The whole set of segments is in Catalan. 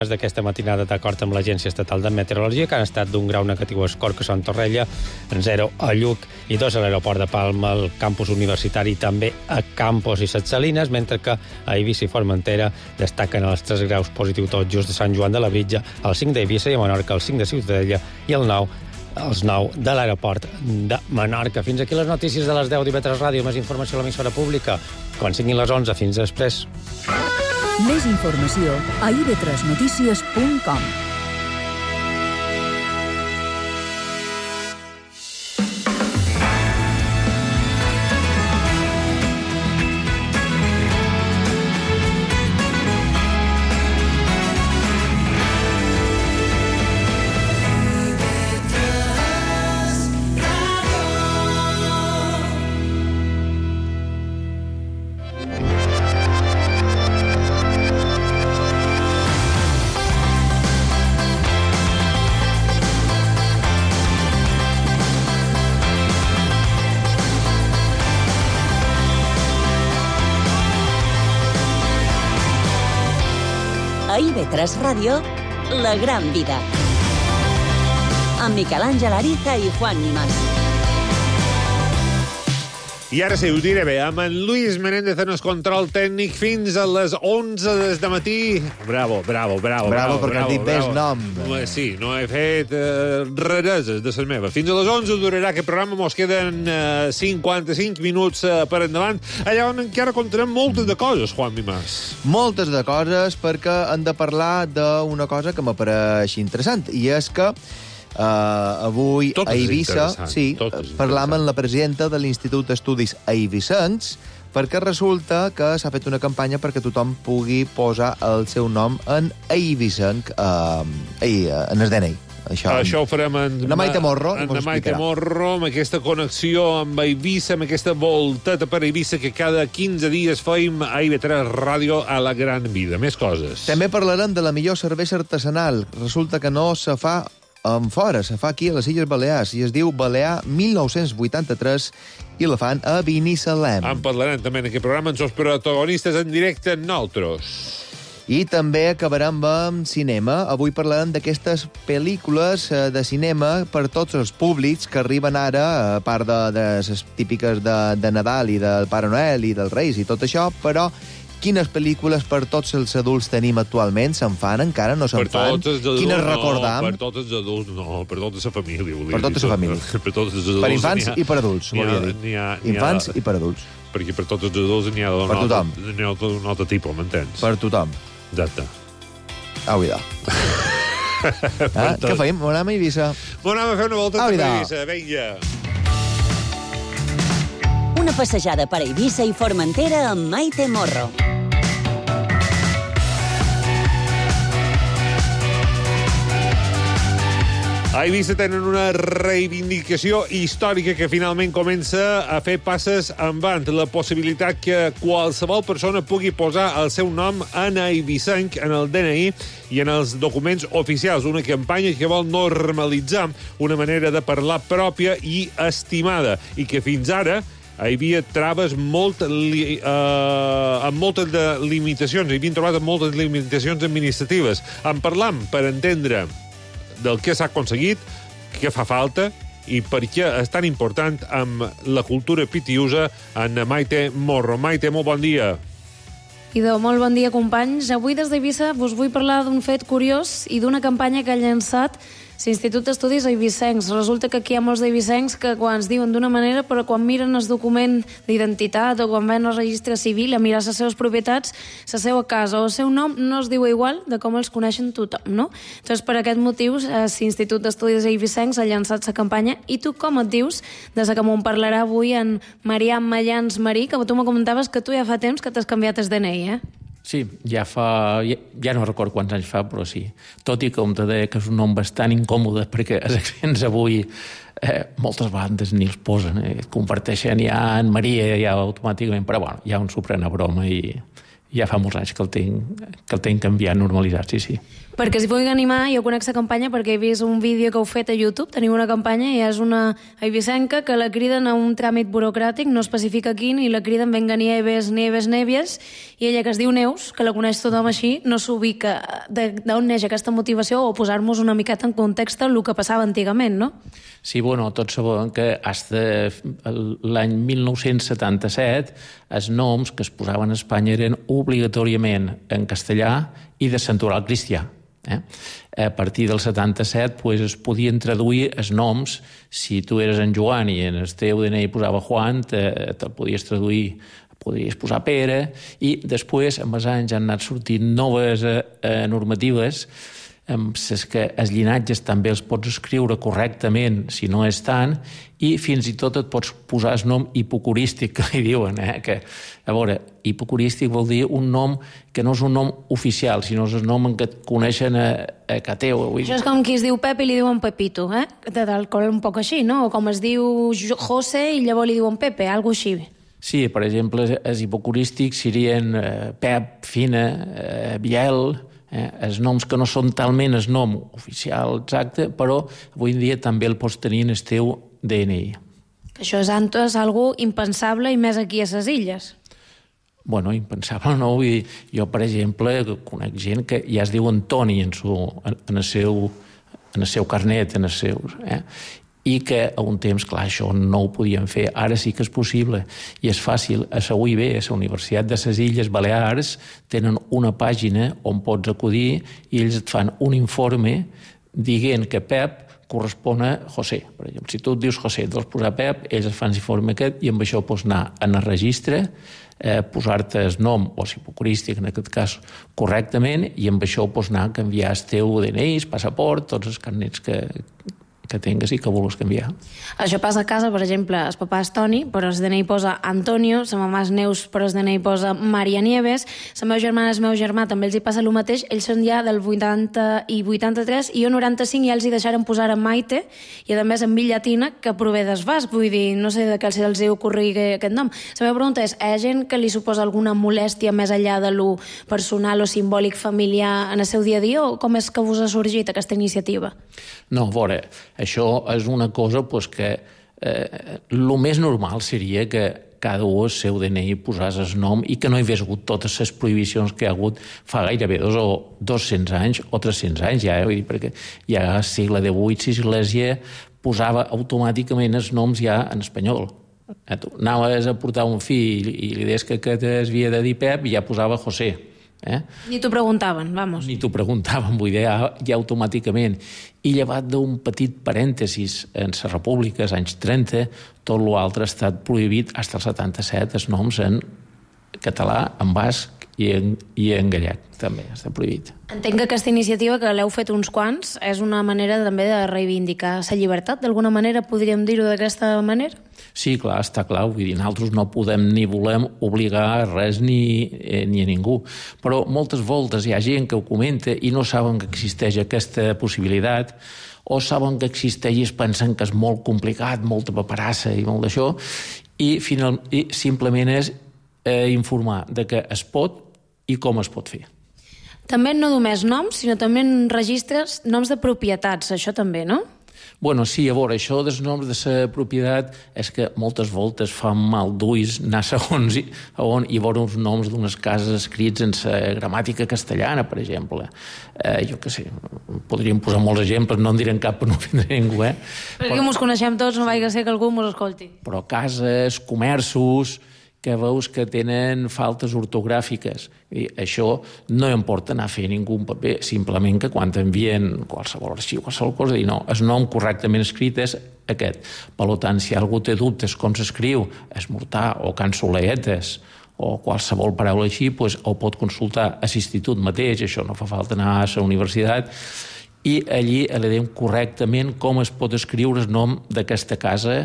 d'aquesta matinada d'acord amb l'Agència Estatal de Meteorologia, que han estat d'un grau negatiu a Escorca, Sant Torrella, 0 a Lluc i 2 a l'aeroport de Palma, al campus universitari, també a Campos i Ses Salines, mentre que a Eivissa i Formentera destaquen els 3 graus positius tot just de Sant Joan de Labritja, el 5 d'Eivissa i a Menorca el 5 de Ciutadella i el 9 els 9 de l'aeroport de Menorca. Fins aquí les notícies de les 10 d'IV3 Ràdio. Més informació a l'emissora pública quan siguin les 11. Fins després. Més informació a ib3notícies.com. A IB3 Ràdio, La Gran Vida. Amb Miquel Àngel Ariza i Juan Nimas. I ara sí, ho diré bé, amb en Luis Menéndez en el control tècnic fins a les 11 des de matí. Bravo, perquè has dit bé el nom. Sí, no he fet rareses de les meves. Fins a les 11 durarà aquest programa, mos queden 55 minuts per endavant, allà on encara contarem moltes de coses, Juan Nimas. Moltes de coses, perquè hem de parlar d'una cosa que m'apareix interessant, i és que avui a Eivissa parlam amb la presidenta de l'Institut d'Estudis Eivissencs, perquè resulta que s'ha fet una campanya perquè tothom pugui posar el seu nom en eivissenc en el DNI. Això ho farem en Maite Morro, amb aquesta connexió amb Eivissa, amb aquesta volteta per Eivissa que cada 15 dies feim a IB3 Ràdio a La Gran Vida. Més coses. També parlarem de la millor cervesa artesanal. Resulta que no se fa fora, se fa aquí a les Illes Balears, i es diu Balear 1983, i la fan a Binissalem. En parlarem també en aquest programa, amb els protagonistes en directe nosaltres. I també acabarem amb cinema. Avui parlarem d'aquestes pel·lícules de cinema per tots els públics que arriben ara, a part de les típiques de Nadal i del Pare Noel i dels Reis i tot això, però quines pel·lícules per tots els adults tenim actualment? Se'n fan encara? No se'n fan? Quines recordam? Per tots els adults, no. Per tota la família. Per tota la família. Per infants i per adults, volia dir. Infants i per adults. Perquè per tots els adults n'hi ha d'un altre tipus, m'entens? Per tothom. Exacte. Au, idò. Què feim? Anem a Eivissa. Anem a fer una volta a Eivissa, vinga. Una passejada per Eivissa i Formentera amb Maite Morro. A Eivissa tenen una reivindicació històrica que finalment comença a fer passes endavant. La possibilitat que qualsevol persona pugui posar el seu nom en eivissenc, en el DNI i en els documents oficials. Una campanya que vol normalitzar una manera de parlar pròpia i estimada, i que fins ara hi havia traves amb moltes limitacions, hi havien trobat moltes limitacions administratives. En parlam per entendre del que s'ha aconseguit, què fa falta i per què és tan important amb la cultura pitiusa en Maite Morro. Maite, molt bon dia. Idò, molt bon dia, companys. Avui des d'Eivissa us vull parlar d'un fet curiós i d'una campanya que ha llançat l'Institut d'Estudis Eivissencs. Resulta que aquí hi ha molts eivissencs que quan es diuen d'una manera, però quan miren el document d'identitat o quan van al registre civil a mirar les seves propietats, la seva casa o el seu nom no es diu igual de com els coneixen tothom, no? Doncs per aquest motiu l'Institut d'Estudis Eivissencs ha llançat la campanya. I tu com et dius? Des que m'ho parlarà avui en Marià Mallans Marí, que tu me comentaves que tu ja fa temps que t'has canviat el DNI, eh? Sí, ja no recordo quants anys fa, però sí. Tot i que em deia que és un nom bastant incòmode, perquè els accents avui moltes bandes ni els posen, converteixen ja en Maria ja automàticament, però bueno, ja un s'ho pren a broma i ja fa molts anys que el tinc canviat, normalitzat, sí. Perquè si vull animar, jo conec la campanya perquè he vist un vídeo que heu fet a YouTube, teniu una campanya i és una eivissenca que la criden a un tràmit burocràtic, no especifica quin, i la criden venga Nieves, Nieves, Nieves, i ella, que es diu Neus, que la coneix tothom així, no s'ubica d'on neix aquesta motivació o posar-nos una miqueta en context el que passava antigament, no? Sí, bueno, tots sabem que l'any 1977 els noms que es posaven a Espanya eren obligatòriament en castellà i de santoral cristià. A partir del 77 es podien traduir els noms. Si tu eres en Joan i en el teu DNI posava Juan, te'l podies traduir, podries posar Pere, i després, amb els anys, han anat sortint noves normatives amb les que els llinatges també els pots escriure correctament, si no és tant, i fins i tot et pots posar el nom hipocorístic, que li diuen, que, a veure, hipocorístic vol dir un nom que no és un nom oficial, sinó és el nom en què et coneixen a Cateu. Això és com qui es diu Pep i li diuen Pepito, del col un poc així, no? O com es diu José i llavors li diuen Pepe, alguna així. Sí, per exemple, els hipocorístics serien Pep, Fina, Biel, els noms que no són talment el nom oficial exacte, però avui en dia també el pots tenir en el teu DNI. Això és algo impensable i més aquí a les illes. Bueno, impensable no. Jo, per exemple, conec gent que ja es diu Antoni en el seu carnet, en els seus... I que a un temps, clar, això no ho podien fer. Ara sí que és possible i és fàcil. A la UIB, a la Universitat de les Illes Balears, tenen una pàgina on pots acudir i ells et fan un informe dient que Pep correspon a José. Per exemple, si tu et dius José, et vols posar Pep, ells et fan l'informe aquest i amb això pots anar en el registre, posar-te el nom, o hipocorístic en aquest cas, correctament, i amb això pots anar a canviar el teu DNI, el passaport, tots els carnets que tingues i que vulguis canviar. Això passa a casa, per exemple, el papà és Toni, però el DNI posa Antonio, la mamà és Neus, però el DNI posa Maria Nieves, la meva germana és meu germà, també els hi passa el mateix, ells són ja del 80 i 83, i jo 95, i ells hi deixaren posar en Maite, i a més en Villatina, que prové d'Esbàs, vull dir, no sé de què els hi ocorri aquest nom. La meva pregunta és, hi ha gent que li suposa alguna molèstia més enllà de lo personal o simbòlic familiar en el seu dia a dia, o com és que us ha sorgit aquesta iniciativa? No, a veure, això és una cosa que el més normal seria que cada un al seu DNI posàs el nom i que no hi hagués hagut totes les prohibicions que hi ha hagut fa gairebé 200 anys o 300 anys ja, perquè ja al segle XVIII l'Església posava automàticament els noms ja en espanyol. Tu anaves a portar un fill i li deies que es havia de dir Pep i ja posava José. Ni t'ho preguntaven, vamos. Ni t'ho preguntaven, vull dir, ja automàticament. I llevat d'un petit parèntesis en la República, als anys 30, tot l'altre ha estat prohibit fins al 77, els noms en català, en basc i en gallec, també està prohibit. Entenc que aquesta iniciativa, que l'heu fet uns quants, és una manera també de reivindicar la llibertat, d'alguna manera, podríem dir-ho d'aquesta manera? Sí, clar, està clar, vull dir, nosaltres no podem ni volem obligar a res ni a ningú, però moltes voltes hi ha gent que ho comenta i no saben que existeix aquesta possibilitat, o saben que existeix i es pensen que és molt complicat, molta paperassa i molt d'això, i simplement és informar de que es pot i com es pot fer. També no només noms, sinó també en registres noms de propietats, això també, no? Bueno, sí, a veure, això dels noms de la propietat és que moltes voltes fa mal d'ulls anar segons on hi veure uns noms d'unes cases escrits en la gramàtica castellana, per exemple. Jo què sé, podríem posar molts exemples, no en direm cap per no ofendre ningú, Perquè mos coneixem tots, no vaig ser que algú mos escolti. Però cases, comerços, que veus que tenen faltes ortogràfiques. I això no importa anar a fer ningú paper, simplement que quan t'envien qualsevol arxiu, qualsevol cosa, dir no, el nom correctament escrit és aquest. Per tant, si algú té dubtes com s'escriu esmortar o cansoleetes o qualsevol paraula així, ho pot consultar a l'institut mateix, això no fa falta anar a la universitat, i allí li diem correctament com es pot escriure el nom d'aquesta casa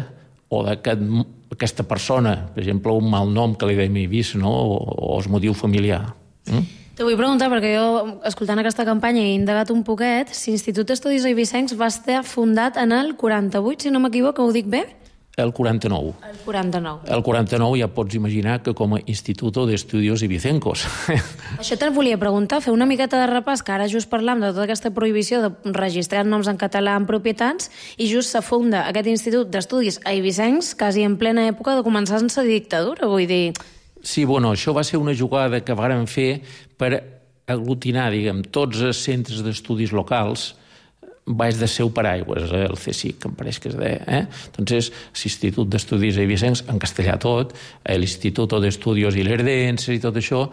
o d'aquesta persona, per exemple, un mal nom que li deim vist, no? O el motiu familiar. Te vull preguntar, perquè jo, escoltant aquesta campanya, he indagat un poquet, l'Institut d'Estudis Eivissencs va estar fundat en el 48, si no m'equivoco, ho dic bé? El 49. El 49. El 49 ja pots imaginar que com a Instituto de Estudios Ibicencos. Això te'n volia preguntar, fer una miqueta de repàs, que ara just parlam de tota aquesta prohibició de registrar noms en català en propietats, i just se funda aquest Institut d'Estudis Eivissencs quasi en plena època de començar-se dictadura, vull dir... Sí, bueno, això va ser una jugada que vàrem fer per aglutinar, diguem, tots els centres d'estudis locals baix de seu paraigües, el CSIC, que em pareix que es deia. Entonces, l'Institut d'Estudis Eivissencs, en castellà tot, l'Instituto de Estudios Ilerdenses i tot això,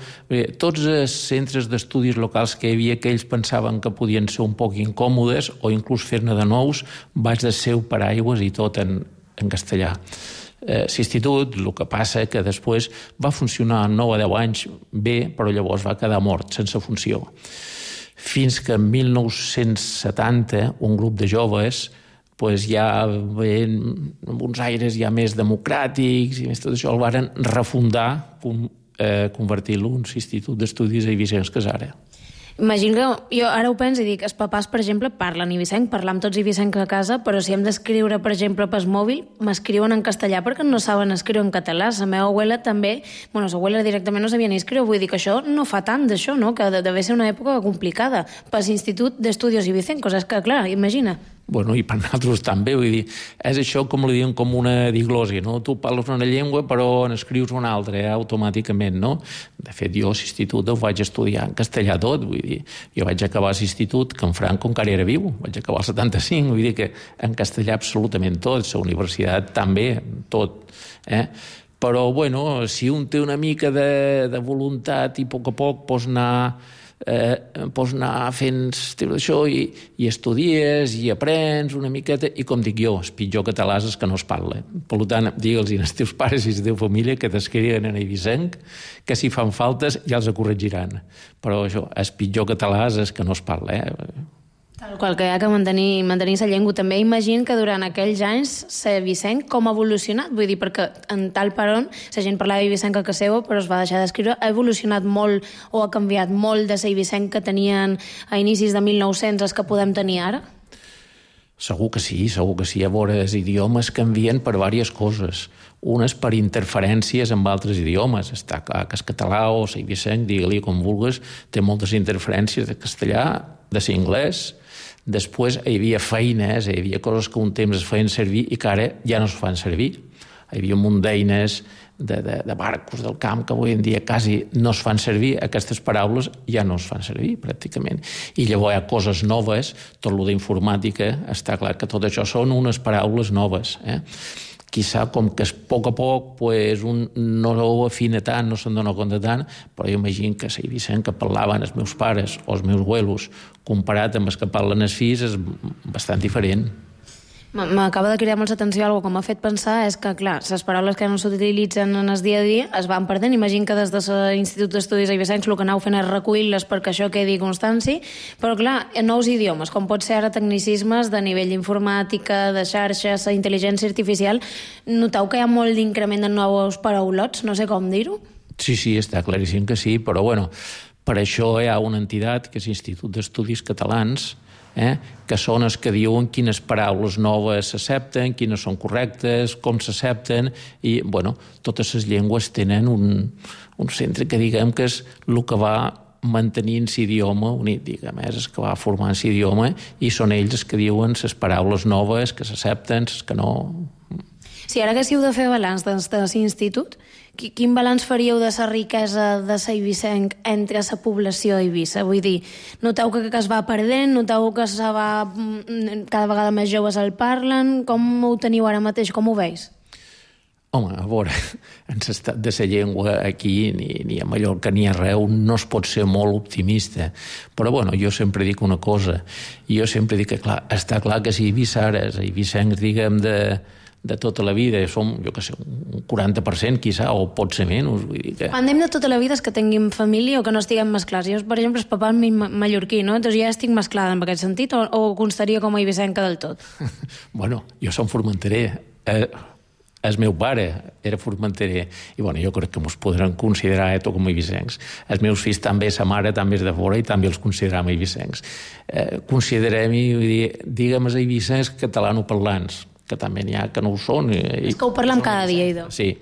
tots els centres d'estudis locals que hi havia que ells pensaven que podien ser un poc incòmodes o inclús fer-ne de nous, baix de seu paraigües i tot en castellà. L'institut, el que passa que després va funcionar 9 o 10 anys bé, però llavors va quedar mort, sense funció. Fins que en 1970 un grup de joves ja amb uns aires ja més democràtics i més tot això el varen refundar, convertir-lo en l'Institut d'Estudis Eivissencs que és ara. Imagino que jo ara ho penso i dic, els papàs, per exemple, parlen eivissenc, parlam tots eivissenc a casa, però si hem d'escriure, per exemple, pel mòbil, m'escriuen en castellà perquè no saben escriure en català. La meva abuela també, la abuela directament no sabia ni escriure, vull dir que això no fa tant d'això, no? Que deve ser una època complicada per l'Institut d'Estudios Eivissencos, és que, clar, imagina. Bueno, i per nosaltres també, vull dir, és això com li diuen com una diglosi, no? Tu parles una llengua però n'escrius una altra, automàticament, no? De fet, jo a l'institut ho vaig estudiar en castellà tot, vull dir, jo vaig acabar a l'institut que en Franco encara era viu, vaig acabar al 75, vull dir que en castellà absolutament tot, la universitat també, tot, Però, bueno, si un té una mica de voluntat i a poc pots anar fent això i estudies i aprens una miqueta i, com dic jo, el pitjor català és que no es parla. Per tant, digue'ls als teus pares i a la teva família que t'escriuen en eivissenc, que si fan faltes ja els corregiran. Però això, el pitjor català és que no es parla, Tal qual, que hi ha que mantenir la llengua. També imagino que durant aquells anys l'eivissenc com ha evolucionat, vull dir, perquè en tal per on la gent parlava eivissenc a casa seva, però es va deixar d'escriure, ha evolucionat molt o ha canviat molt de l'eivissenc que tenien a inicis de 1900 els que podem tenir ara? Segur que sí. A veure, els idiomes canvien per diverses coses. Unes per interferències amb altres idiomes. Està clar que el català o l'eivissenc, digue-li com vulguis, té moltes interferències de castellà, de l'anglès. Després hi havia feines, hi havia coses que un temps es feien servir i que ara ja no es fan servir. Hi havia un munt d'eines de barcos del camp que avui en dia quasi no es fan servir. Aquestes paraules ja no es fan servir, pràcticament. I llavors hi ha coses noves, tot el d'informàtica, està clar que tot això són unes paraules noves, Quizà com que a poc un no ho afina tant, no se'n dona compte tant, però jo imagino que l'eivissenc que parlaven els meus pares o els meus abuelos comparat amb els que parlen els fills és bastant diferent. M'acaba de cridar molt l'atenció algo que m'ha fet pensar és que, clar, les paraules que no s'utilitzen en el dia a dia es van perdent. Imagino que des de l'Institut d'Estudis Eivissencs el que aneu fent és recollir-les perquè això quedi constància, però, clar, nous idiomes, com pot ser ara tecnicismes de nivell informàtica, de xarxes, intel·ligència artificial, noteu que hi ha molt d'increment de nous paraulots, no sé com dir-ho? Sí, està claríssim que sí, però, bueno, per això hi ha una entitat que és l'Institut d'Estudis Catalans, que són els que diuen quines paraules noves s'accepten, quines són correctes, com s'accepten, i, bueno, totes les llengües tenen un centre que diguem que és el que va mantenint l'idioma unit, diguem, és el que va formant l'idioma, i són ells els que diuen les paraules noves que s'accepten, les que no. Si ara haguéssiu de fer balanç de l'institut, quin balanç faríeu de la riquesa de l'eivissenc entre la població d'Eivissa? Vull dir, noteu que es va perdent, noteu que cada vegada més joves el parlen, com ho teniu ara mateix, com ho veus? Home, a veure, en l'estat de la llengua aquí, ni a Mallorca ni arreu, no es pot ser molt optimista. Però, bueno, jo sempre dic una cosa. Jo sempre dic que, clar, està clar que si eivissares, eivissencs, diguem, de tota la vida, som, jo què sé, un 40%, quizà, o pot ser menys. Vull dir que... Quan diem de tota la vida és que tinguin família o que no estiguem mesclats. Jo, per exemple, el papà és mallorquí, no? Doncs ja estic mesclada en aquest sentit, o constaria com a eivissenca del tot? Bueno, jo som formenterer. El meu pare era formenterer i, bueno, jo crec que mos podran considerar tot com a eivissencs. Els meus fills també, sa mare també és de fora i també els consideram eivissencs. Considerem-hi, diguem, els eivissencs catalanoparlants, que també n'hi ha que no ho són. És que ho parlem cada dia, idò. Sí.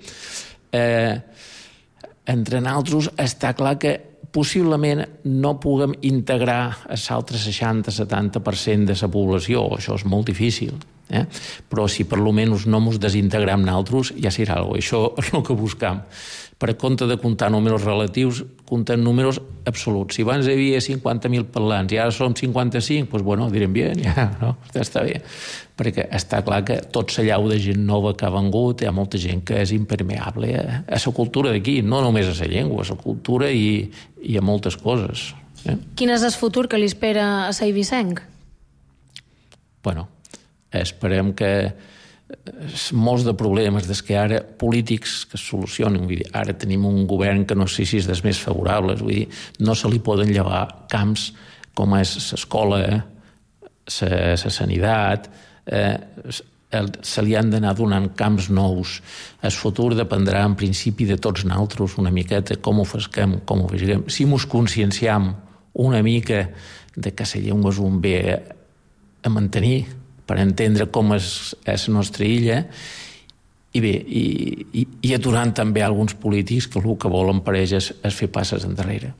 Entre nosaltres està clar que possiblement no puguem integrar l'altre 60-70% de la població. Això és molt difícil. Però si per lo menys no mos desintegram naltros, ja serà alguna cosa. Això és el que buscam. Per compte de comptar números relatius, comptem números absoluts. Si abans hi havia 50.000 parlants i ara som 55, doncs bueno, direm bé, ja, no? Està bé. Perquè està clar que tot s'allau de gent nova que ha vengut, hi ha molta gent que és impermeable a la cultura d'aquí, no només a la llengua, a la cultura i a moltes coses. Quin és el futur que li espera a Eivissenc? Bueno, esperem que molts de problemes des que ara polítics que es solucionen, vull dir, ara tenim un govern que no sé si és dels més favorables, vull dir, no se li poden llevar camps com és l'escola, la sanitat, se li han d'anar donant camps nous. El futur dependrà en principi de tots nosaltres una miqueta com ho fesquem, com ho vegem. Si mos conscienciam una mica de que la llengua és un bé a mantenir per entendre com és la nostra illa i bé, i aturant també alguns polítics que el que volen per ells és fer passes endarrere.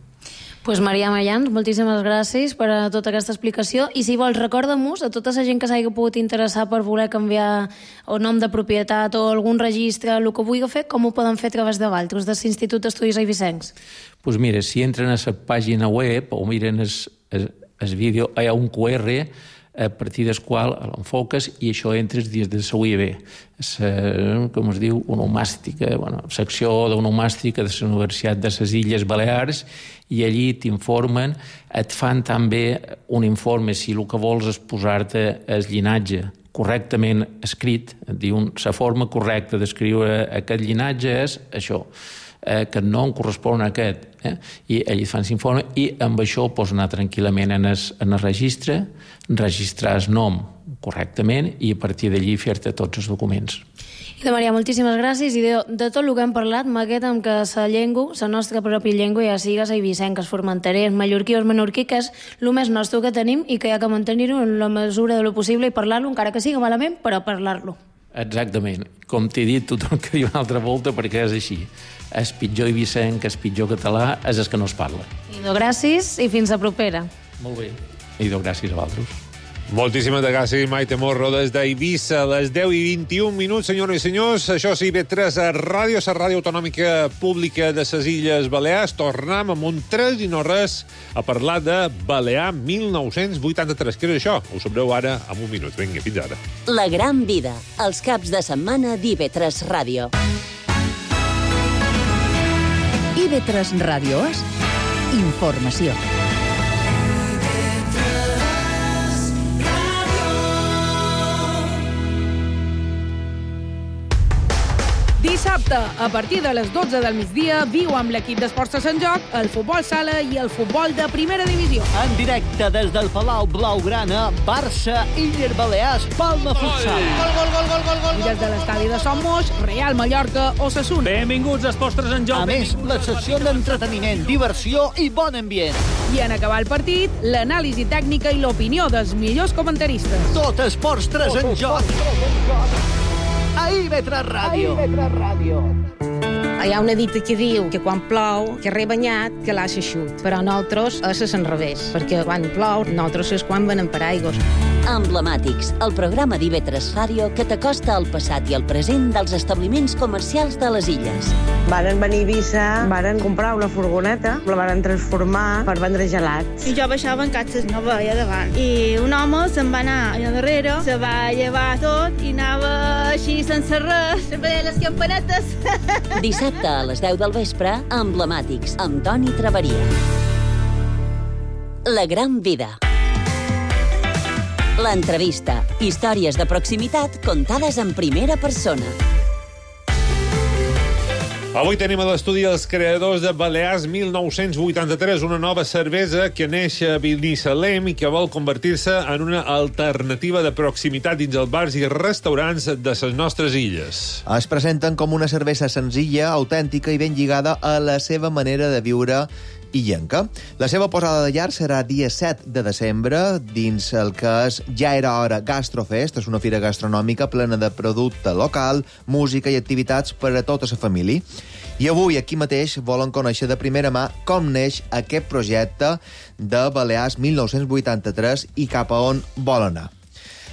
Pues Marià Mayans, moltíssimes gràcies per a tota aquesta explicació i si vols recorda-mos a tota la gent que s'hagi pogut interessar per voler canviar el nom de propietat o algun registre, el que vulgui fer, com ho poden fer a través de Valtros, de l'Institut d'Estudis Eivissencs? Doncs mira, si entren a la pàgina web o miren el vídeo, hi ha un QR a partir del qual l'enfoques i això entres dins de la UIB, com es diu, onomàstica, secció d'onomàstica de la Universitat de les Illes Balears, i allí t'informen, et fan també un informe si el que vols és posar-te el llinatge correctament escrit, et diuen la forma correcta d'escriure aquest llinatge és això, que no em correspon a aquest, i ells fan l'informe i amb això pots anar tranquil·lament en el registre, registrar el nom correctament i a partir d'allí fer-te tots els documents. I de Marià, moltíssimes gràcies i de tot el que hem parlat m'aquest amb que la llengua, la nostra pròpia llengua, ja siga eivissenc, formenterès, mallorquí o menorquí, que és el més nostre que tenim i que hi ha que mantenir-ho en la mesura de lo possible i parlar-lo, encara que siga malament, però parlar-lo. Exactament. Com t'he dit, tothom que diu una altra volta, perquè és així. El pitjor eivissenc, el pitjor català, és el que no es parla. Idò, gràcies i fins a propera. Molt bé. Idò, gràcies a vosaltres. Moltíssimes gràcies, Maite Morro, des d'Eivissa, a les 10:21, senyores i senyors. Això és IB3 a Ràdio, la ràdio autonòmica pública de les Illes Balears. Tornem amb un 3 i no res a parlar de Balear 1983. Què és això? Ho sabreu ara en un minut. Vinga, fins ara. La gran vida, els caps de setmana d'IB3 Ràdio. IB3 Ràdio és informació. Dissabte, a partir de les 12 del migdia, viu amb l'equip d'Esports de Sant Joc el futbol sala i el futbol de primera divisió. En directe des del Palau Blaugrana, Barça, Illes Balears, Palma Futsal. Gol. I des de l'estadi de Son Moix, Real Mallorca, Osasuna. Benvinguts a Esports de Sant Joc. A més, la secció d'entreteniment, diversió i bon ambient. I en acabar el partit, l'anàlisi tècnica i l'opinió dels millors comentaristes. Tot Esports 3 en joc. A IB3 Ràdio. Hi ha una dita que diu que quan plou, que rebanyat, que l'ha xut. Però nosaltres és l'enrevés, perquè quan plou, nosaltres és quan venem per aigües. Emblemàtics, el programa d'IB3 Ràdio que t'acosta al passat i al present dels establiments comercials de les illes. Varen venir a Eivissa, varen comprar una furgoneta, la varen transformar per vendre gelats. I jo baixava en catxes, no veia davant. I un home se'n va anar allà darrere, se va llevar tot i anava així sense res, se'n veia les campanetes. Dissabte a les 10 del vespre, Emblemàtics, amb Toni Traveria. La gran vida. L'entrevista. Històries de proximitat contades en primera persona. Avui tenim a l'estudi els creadors de Balears 1983, una nova cervesa que neix a Binissalem i que vol convertir-se en una alternativa de proximitat dins els bars i restaurants de les nostres illes. Es presenten com una cervesa senzilla, autèntica i ben lligada a la seva manera de viure illenca. La seva posada de llar serà dia 7 de desembre dins el que és Ja era hora Gastrofest. És una fira gastronòmica plena de producte local, música i activitats per a tota la família. I avui, aquí mateix, volen conèixer de primera mà com neix aquest projecte de Balears 1983 i cap a on vol anar.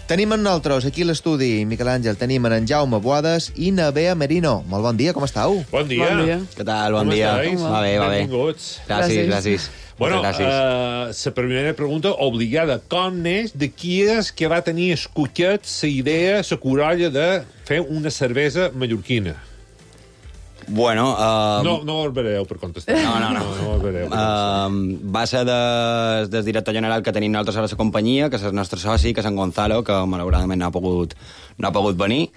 Tenim amb nosaltres aquí a l'estudi, Miquel Àngel, tenim en Jaume Boades i na Bea Merino. Molt bon dia, com estàu? Bon dia. Què tal? Bon dia. Va bé. Benvinguts. Gràcies. Bueno, la primera pregunta obligada. Com és, de qui és que va tenir escollit la idea, la corolla de fer una cervesa mallorquina? Bueno... No barbereu per contestar. No. Va ser del director general que tenim nosaltres a la companyia, que és el nostre soci, que és en Gonzalo, que malauradament no ha pogut venir.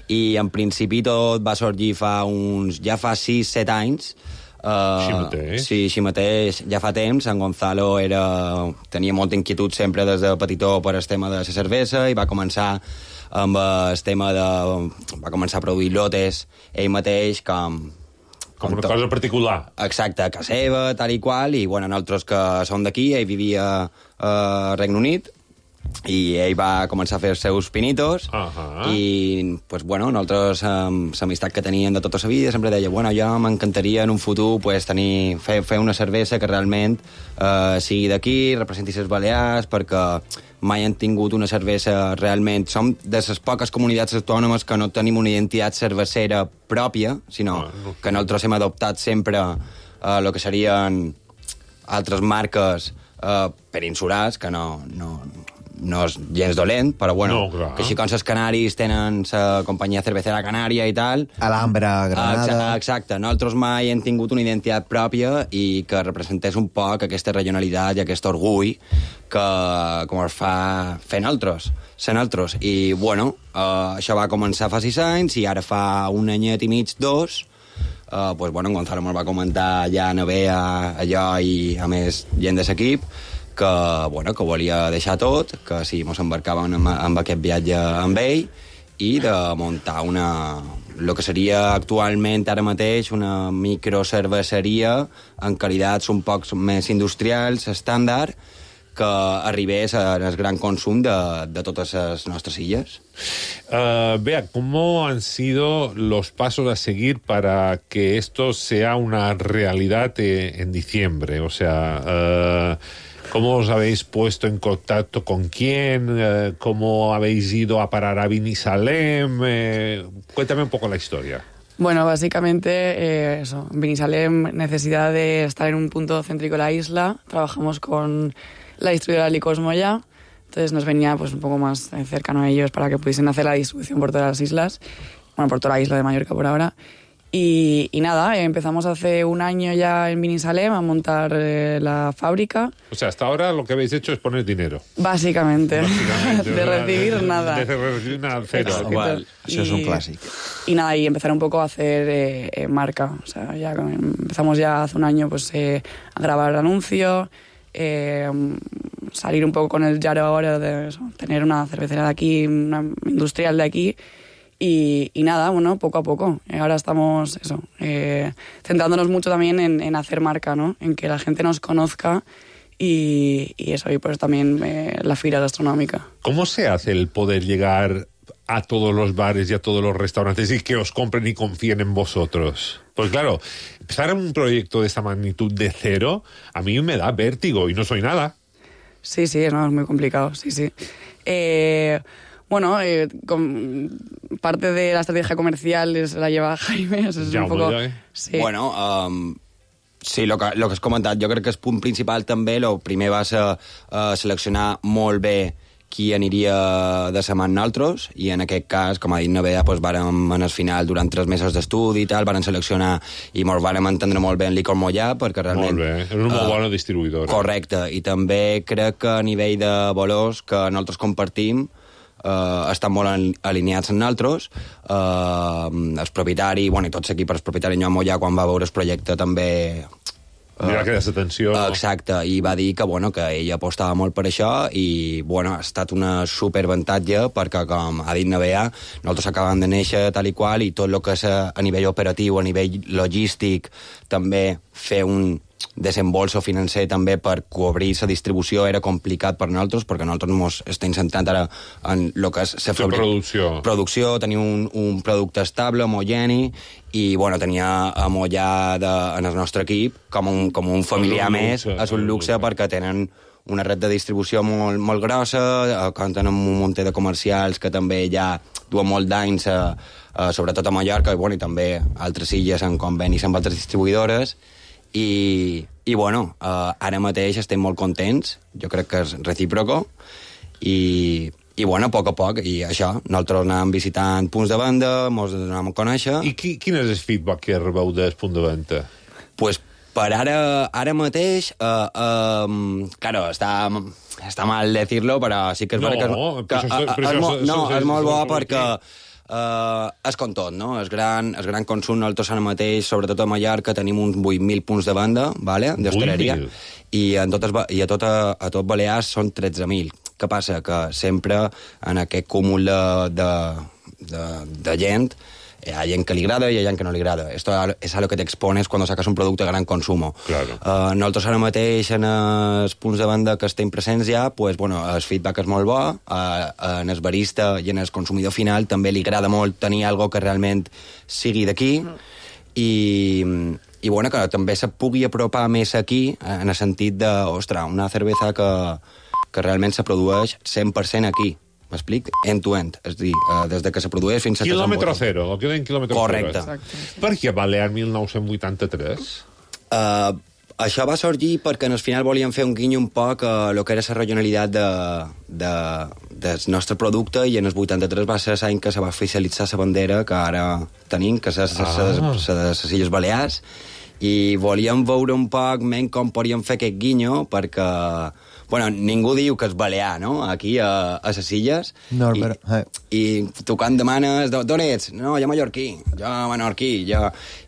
I en principi tot va sorgir ja fa 6-7 anys. Així mateix? Sí, així mateix. Ja fa temps. En Gonzalo tenia molta inquietud sempre des de petitó per el tema de la cervesa i va començar amb el tema va començar a produir lotes ell mateix com una cosa particular. Exacte, a casa seva, tal i qual, i bueno, nosaltres que som d'aquí, ell vivia a Regne Unit, i ell va començar a fer els seus pinitos, i pues, bueno, nosaltres, l'amistat que tenien de tota la vida, sempre deia, bueno, jo m'encantaria en un futur pues, fer una cervesa que realment sigui d'aquí, representi les Balears, perquè mai han tingut una cervesa realment... Som de les poques comunitats autònomes que no tenim una identitat cervecera pròpia, sinó que nosaltres hem adoptat sempre el que serien altres marques peninsulars, que no és gens dolent, però bueno, que així com els canaris tenen la companyia cervecera canària i tal... Alhambra, Granada... Exacte, nosaltres mai hem tingut una identitat pròpia i que representés un poc aquesta regionalitat i aquest orgull que com es fa fer nosaltres. I bueno, això va començar fa 6 anys i ara fa un anyet i mig, 2, pues bueno, en Gonzalo me'l va comentar ja a Bea, allò i a més gent de l'equip, que volia deixar tot, que si mos embarcàvem amb aquest viatge amb ell i de muntar el que seria actualment ara mateix una microcerveseria en qualitats un poc més industrials, estàndard, que arribés al gran consum de totes les nostres illes. Bea, ¿cómo han sido los pasos a seguir para que esto sea una realidad en diciembre? O sea... ¿Cómo os habéis puesto en contacto con quién? ¿Cómo habéis ido a parar a Binissalem? Cuéntame un poco la historia. Bueno, básicamente eso. Binissalem, necesidad de estar en un punto céntrico de la isla. Trabajamos con la distribuidora Licors Moya. Entonces nos venía pues un poco más cercano a ellos para que pudiesen hacer la distribución por todas las islas. Bueno, por toda la isla de Mallorca por ahora. Y nada, empezamos hace un año ya en Binissalem a montar la fábrica. O sea, hasta ahora lo que habéis hecho es poner dinero. Básicamente de recibir nada. De recibir nada, cero. Igual, eso es un clásico. Y nada, y empezar un poco a hacer marca. O sea, ya empezamos ya hace un año pues a grabar anuncios, salir un poco con el llaro ahora de eso, tener una cervecera de aquí, una industrial de aquí. Y nada, bueno, poco a poco. Ahora estamos, centrándonos mucho también en hacer marca, ¿no? En que la gente nos conozca y eso, y pues también la fila gastronómica. ¿Cómo se hace el poder llegar a todos los bares y a todos los restaurantes y que os compren y confíen en vosotros? Pues claro, empezar un proyecto de esta magnitud de cero, a mí me da vértigo y no soy nada. Sí, no, es muy complicado, sí. Bueno, parte de la estrategia comercial la lleva Jaime. És un poco... Sí. Bueno, sí, lo que has comentat, jo crec que el punt principal també, el primer va ser seleccionar molt bé qui aniria de la mà amb nosaltres, i en aquest cas, com ha dit Navea, doncs vàrem en el final, durant 3 mesos d'estudi i tal, vàrem seleccionar i ens vàrem entendre molt bé en Licor Moya, perquè realment... Molt bé, és una molt bona distribuïdora. Correcte, i també crec que a nivell de valors que nosaltres compartim, estan molt alineats amb nosaltres. El propietari, bueno, i tot l'equip, el propietari Joan Moya, quan va veure el projecte també... Mira que atenció. Exacte, i va dir que, bueno, que ell apostava molt per això i, bueno, ha estat una superavantatge perquè, com ha dit Navea, nosaltres acabem de néixer tal i qual i tot el que és a nivell operatiu, a nivell logístic, també fer un desembolso financer també per cobrir la distribució era complicat per nosaltres, perquè nosaltres ens estem centrant ara en el que és la producció, tenir un producte estable, homogeni, i bueno, tenia a Moya en el nostre equip com un familiar més, és un luxe perquè tenen una red de distribució molt, molt grossa, compten amb un munt de comercials que també ja duen molt d'anys, sobretot a Mallorca, i també altres illes en convenis amb altres distribuïdores, i bueno, ara mateix estem molt contents, jo crec que és recíproco, i bueno, a poc, i això, nosaltres anàvem visitant punts de venda, ens anàvem a conèixer. I quin és el feedback que rebeu del punt de venda? Pues per ara mateix, claro, està mal decirlo, però sí que és veritat que és molt bo perquè és com tot, no? El gran consum, nosaltres ara mateix, sobretot a Mallorca, tenim uns 8.000 punts de venda, ¿vale? D'hostaleria, i a tot Balears són 13.000. Què passa? Que sempre en aquest cúmul de gent hi ha gent que li agrada i hi ha gent que no li agrada. Esto es a lo que te expones cuando sacas un producte de gran consumo. Claro. Nosaltres ara mateix en els punts de venda que estem presents ja, pues, bueno, el feedback és molt bo, en el barista i en el consumidor final també li agrada molt tenir algo que realment sigui d'aquí, i bueno, que també se pugui apropar més aquí, en el sentit de, ostres, una cervesa que realment se produeix 100% aquí. M'explic? End-to-end. És a dir, des que se produeix fins a... Quilòmetre zero, el que deien quilòmetre zero. Correcte. Per què Balear 1983? Això va sorgir perquè al final volíem fer un guinyo un poc a lo que era la regionalitat del nostre producte, i en el 83 va ser l'any que se va oficialitzar la bandera que ara tenim, que és de les Illes Balears, i volíem veure un poc com podíem fer aquest guinyo, perquè bueno, ningú diu que és balear, no?, aquí a les illes. No, I tu quan demanes, d'on ets? No, jo mallorquí, jo menorquí,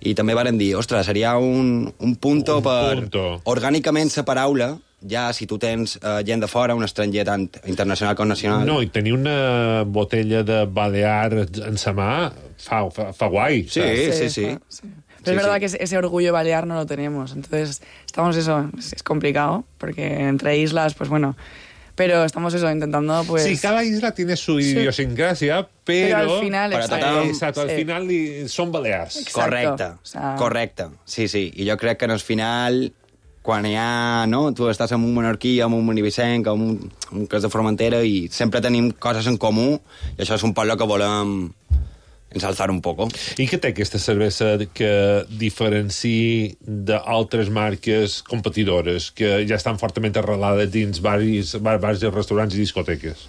I també varen dir, ostres, seria un punto orgànicament la paraula, ja si tu tens gent de fora, un estranger tant internacional com nacional... No, i tenir una botella de Balear en sa mà fa guai. Sí. Pero es verdad que ese orgullo balear no lo tenemos. Entonces, estamos es complicado, porque entre islas, pues bueno, pero estamos intentando, pues... Sí, cada isla tiene su idiosincrasia, pero al final... Exacto, al final són balears. Exacto. Correcte. Sí. I jo crec que al final, quan hi ha, no?, tu estàs amb un menorquí, amb un manivicenc, amb un que és de Formentera, i sempre tenim coses en comú, i això és un poc el que volem ensalzar un poco. I què té aquesta cervesa que diferenciï d'altres marques competidores que ja estan fortament arrelades dins bars, restaurants i discoteques?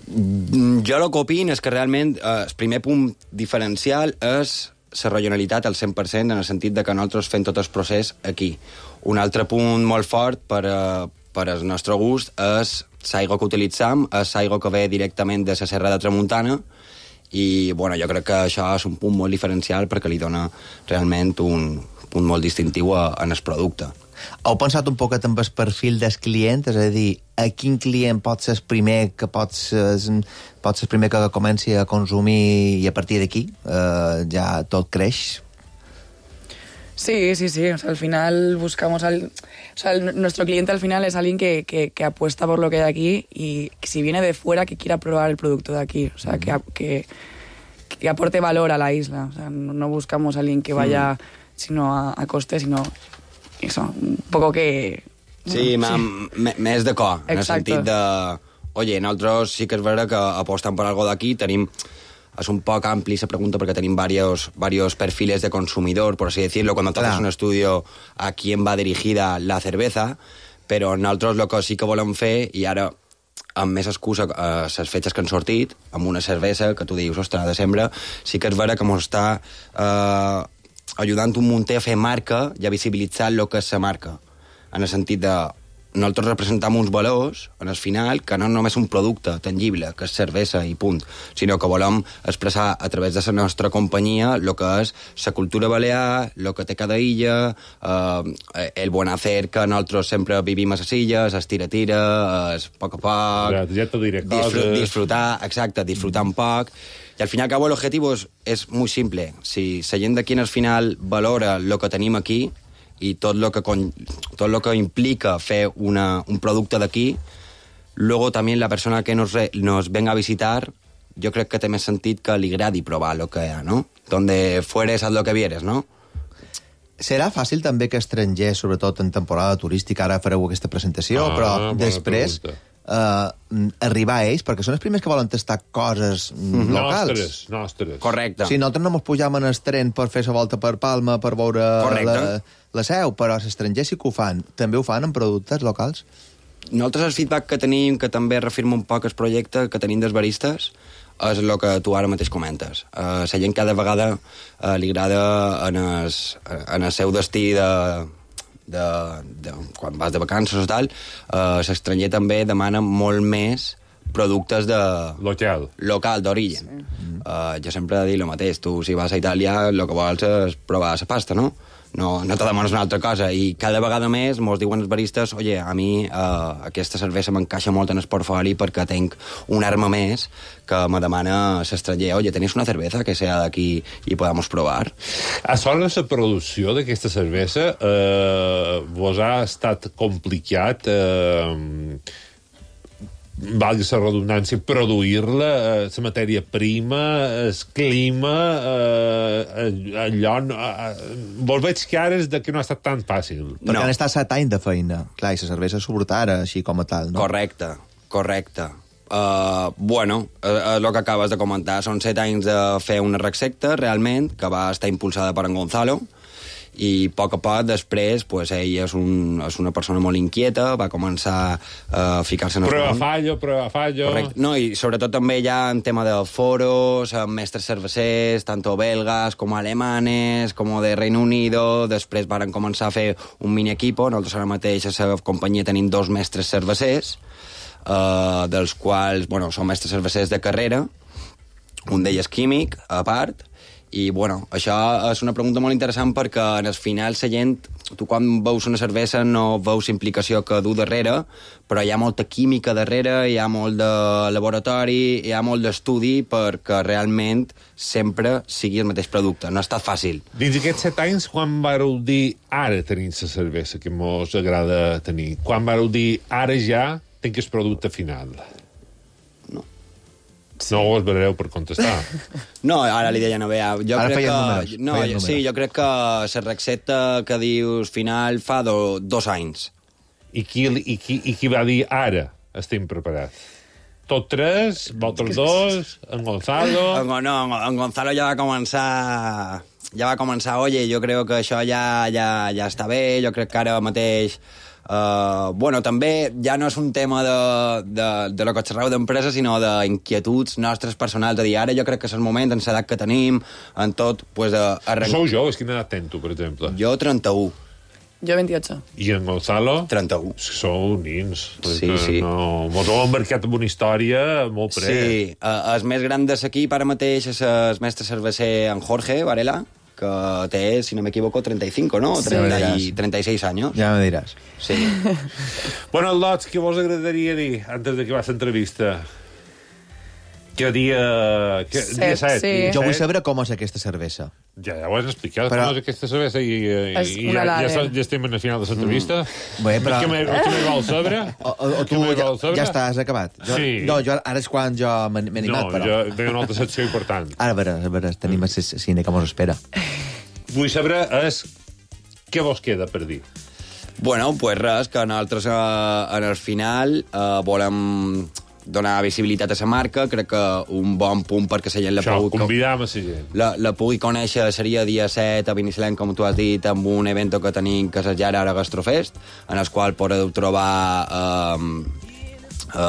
Jo el que opino és que realment el primer punt diferencial és la regionalitat al 100%, en el sentit de que nosaltres fem tot el procés aquí. Un altre punt molt fort per al nostre gust és l'aigua que utilitzam, és l'aigua que ve directament de la Serra de Tramuntana, i bueno, jo crec que això és un punt molt diferencial perquè li dona realment un punt molt distintiu en el producte. Heu pensat un poquet amb el perfil del client? És a dir, a quin client pot ser el primer que comenci a consumir i a partir d'aquí ja tot creix? Sí. O sea, al final buscamos nuestro cliente al final es alguien que apuesta por lo que hay aquí, y si viene de fuera, que quiera probar el producto de aquí. O sea, que aporte valor a la isla. O sea, no buscamos a alguien que vaya sino a coste, sino eso, un poco que... Sí, més d'acord, en el sentit de... Oye, nosaltres sí que és vera que apostem per algo d'aquí, tenim... Es un poc ampli esa pregunta porque tenemos varios perfiles de consumidor, por así decirlo, cuando haces un estudio a quién va dirigida la cerveza, però nosaltres el que sí que volem fer, i ara amb més excusa les fetges que han sortit, amb una cervesa que tu dius, ostres, de desembre, sí que és vera que ens està ajudant un munt a fer marca i a visibilitzar el que és la marca, en el sentit de nosaltres representam uns valors, en el final, que no només un producte tangible, que és cervesa i punt, sinó que volem expressar a través de la nostra companyia el que és la cultura balear, el que té cada illa, el bon hacer que nosaltres sempre vivim a les illes, el tira-tira, el poc a poc, disfrutar un poc. I al final, cabo, l'objectiu és molt simple. Si la gent d'aquí al final valora el que tenim aquí, i tot lo que implica fer un producte d'aquí, luego també la persona que nos venga a visitar, jo crec que té més sentit que li agradi provar lo que hi ha, ¿no? Donde fueres, haz lo que vieres, ¿no? Serà fàcil també que estrangers, sobretot en temporada turística, ara fareu aquesta presentació, però després arribar a ells, perquè són els primers que volen tastar coses locals. Nostres. Correcte. Si nosaltres no ens pujam en el tren per fer la volta per Palma, per veure la seu, però els estrangers sí que ho fan. També ho fan amb productes locals? Nosaltres el feedback que tenim, que també reafirma un poc el projecte que tenim dels baristes, és el que tu ara mateix comentes. La gent cada vegada li agrada en el seu destí de quan vas de vacances o tal, l'estranger també demana molt més productes de... local, d'origen. Sí. Jo sempre he dit el mateix. Tu, si vas a Itàlia, el que vols és provar la pasta, no? No te demanes una altra cosa. I cada vegada més mos diuen els baristes, oye, a mi aquesta cervesa m'encaixa molt en el portfoli perquè tinc una arma més que me demana l'estranger, oye, ¿tenéis una cerveza que sea d'aquí i podamos provar? A sobre la producció d'aquesta cervesa vos ha estat complicat valgui la redundància, produir-la, la matèria prima, el clima, allò... Vos veig que ara és que no ha estat tan fàcil. Perquè han estat 7 anys de feina. Clar, i la cervesa sobretot ara, així com a tal, no? Correcte. Bueno, el que acabes de comentar, són 7 anys de fer una recepta, realment, que va estar impulsada per en Gonzalo, i a poc després pues, ell és una persona molt inquieta, va començar a ficar-se en el Prueba fallo. Correcte. No, i sobretot també hi ha en tema de foros, mestres cervecers, tanto belgas com alemanes, com de Reino Unido. Després varen començar a fer un mini equipo. Nosaltres ara mateix a la companyia tenim 2 mestres cervecers, dels quals, bueno, són mestres cervecers de carrera, un d'ells químic, a part. I, bueno, això és una pregunta molt interessant perquè en el final la gent, tu quan veus una cervesa no veus implicació que du darrere, però hi ha molta química darrere, hi ha molt de laboratori, hi ha molt d'estudi perquè realment sempre sigui el mateix producte. No ha estat fàcil. Dins aquests 7 anys, quan vareu dir ara tenim la cervesa que mos agrada tenir? Quan vareu dir ara ja tinc el producte final? No ho esperareu per contestar. No, ara li deia Novea. Ara feien números. Sí, jo crec que la recepta que dius final fa 2 anys. I qui va dir ara estem preparats? Tot 3? Vosaltres 2? En Gonzalo? No, en Gonzalo ja va començar, oye, jo crec que això ja està bé, jo crec que ara mateix... bueno, també ja no és un tema de lo que xerreu d'empresa, sinó d'inquietuds nostres personals. A dir, ara jo crec que és el moment, en l'edat que tenim, en tot, pues... Sou joves, quina edat tens tu, per exemple? Jo 31. Jo 28. I en Gonzalo? 31. Sou nins. Sí. No, vos heu embarcat en una història molt près. Sí, el més gran de l'equip ara mateix és el mestre cerveser en Jorge Varela, que té, si no m'equivoco, 35, ¿no? Sí. 36 años. Ja me diràs. Sí. Bueno, Lots, què vos agradaria dir antes de que va l'entrevista? Que dia 7. Sí. Jo vull saber com és aquesta cervesa. Ja ho has explicat, però... com és aquesta cervesa i ja estem en el final de l'entrevista. Bé, però... Què me vol saber? O tu ja has acabat. Sí. No, ara és quan jo m'he animat, però... No, jo tinc una altra secció important. Ara, a veure, tenim el cine que mos espera. Vull saber què vos queda per dir. Bueno, pues res, que nosaltres en el final volem donar visibilitat a la marca. Crec que un bon punt perquè la gent convidam a la gent. La pugui conèixer seria dia 7 a Binissalem, com tu has dit, amb un evento que tenim que és Ara Gastrofest, en el qual podeu trobar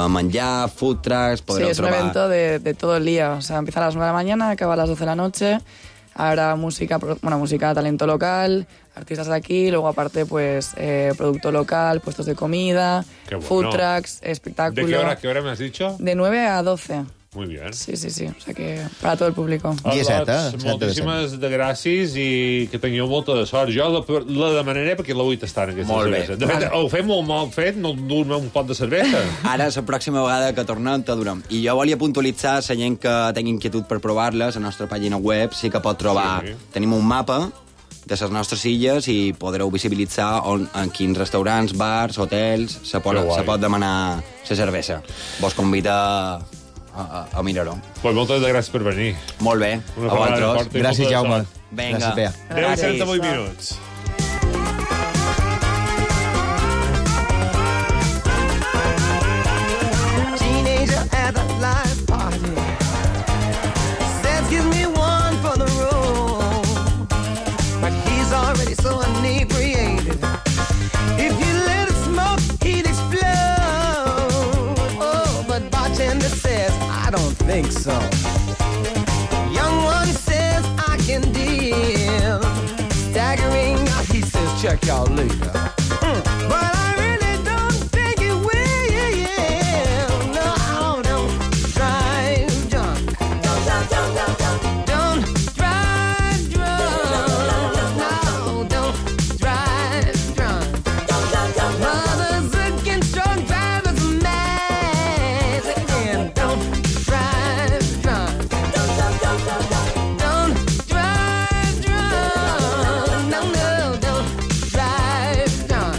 manjar, food trucks, podreu trobar... Sí, es un evento de todo el día. O sea, empieza a las 9 de la mañana, acaba a las 12 de la noche. Habrá música, talento local, artistas de aquí, luego aparte, pues, producto local, puestos de comida, food trucks, espectáculos. ¿De qué hora me has dicho? De 9 a 12. Muy bien. Sí. O sea que para todo el público. Moltíssimes de gràcies i que tingueu molta de sort. Jo la demanaré perquè la vull tastar en aquesta cervesa. De fet, ho fem molt mal fet, no dur un pot de cervesa. Ara, la pròxima vegada que tornem, te durem. I jo volia puntualitzar la gent que tingui inquietud per provar-les. A la nostra pàgina web sí que pot trobar... Sí. Tenim un mapa de les nostres illes i podreu visibilitzar en quins restaurants, bars, hotels se pot demanar la cervesa. Vos convida a mirar-ho. Pues moltes gràcies per venir. Molt bé. A vosaltres. Gràcies, Jaume. Vinga. 10:38 minuts. don't think so. Young one says I can deal. Staggering out, he says check y'all later. But I really don't think it will. No, don't drive drunk. Don't drive drunk. No, don't drive drunk. Mothers against drunk drivers mad. Again, don't drive drunk. Don't drive drunk. No, don't drive drunk.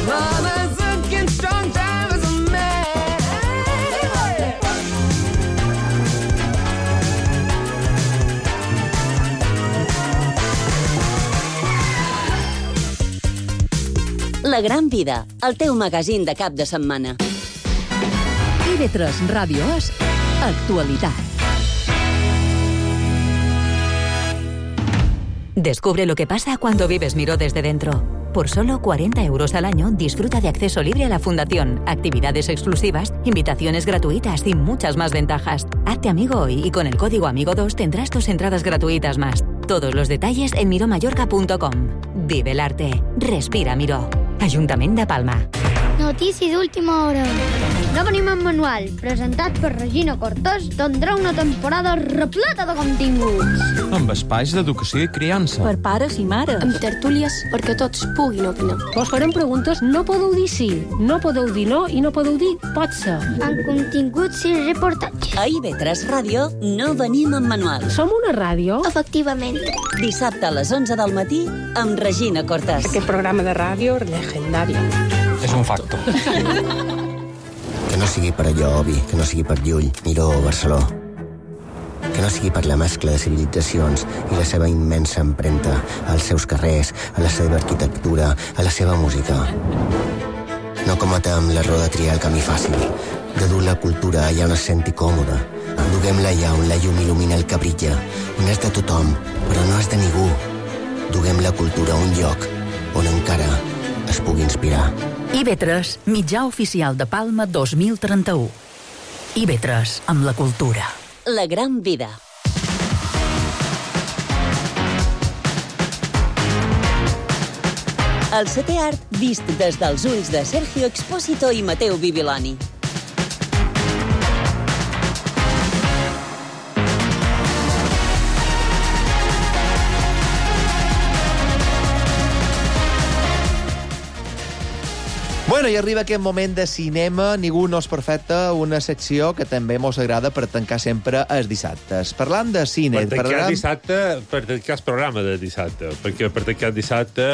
Mothers against drunk drivers mad. La Gran Vida, el teu magazín de cap de setmana. IB3 Ràdio As, actualitat. Descubre lo que pasa cuando vives Miró desde dentro. Por solo 40 euros al año, disfruta de acceso libre a la fundación, actividades exclusivas, invitaciones gratuitas y muchas más ventajas. Hazte amigo hoy y con el código AMIGO2 tendrás 2 entradas gratuitas más. Todos los detalles en miromallorca.com. Vive el arte. Respira Miró. Ajuntament de Palma. Notícia d'última hora. No venim en manual, presentat per Regina Cortés, tindrà una temporada repleta de continguts. Amb espais d'educació i criança. Per pares i mares. Amb tertúlies perquè tots puguin opinar. Vos farem preguntes, no podeu dir sí, no podeu dir no i no podeu dir pot ser. Amb continguts i reportatges. A IB3 Ràdio no venim en manual. Som una ràdio? Efectivament. Dissabte a les 11 del matí amb Regina Cortés. Aquest programa de ràdio legendari. És un facto. Que no sigui per allò, Obi, que no sigui per Llull, Miró o Barceló. Que no sigui per la mescla de civilitzacions i la seva immensa empremta als seus carrers, a la seva arquitectura, a la seva música. No cometem l'error de triar el camí fàcil, de dur la cultura allà on es senti còmoda. Duguem-la allà on la llum il·lumina el que brilla, on és de tothom, però no és de ningú. Duguem la cultura a un lloc on encara es pugui inspirar. IB3, mitjà oficial de Palma 2031. IB3, amb la cultura. La Gran Vida. El setè art vist des dels ulls de Sergio Expósito i Mateu Bibiloni. Bueno, i arriba aquest moment de cinema, Ningú no és perfecte, una secció que també mos agrada per tancar sempre els dissabtes. Parlant de cine... Per tancar dissabte, per tancar el programa de dissabte, perquè per tancar dissabte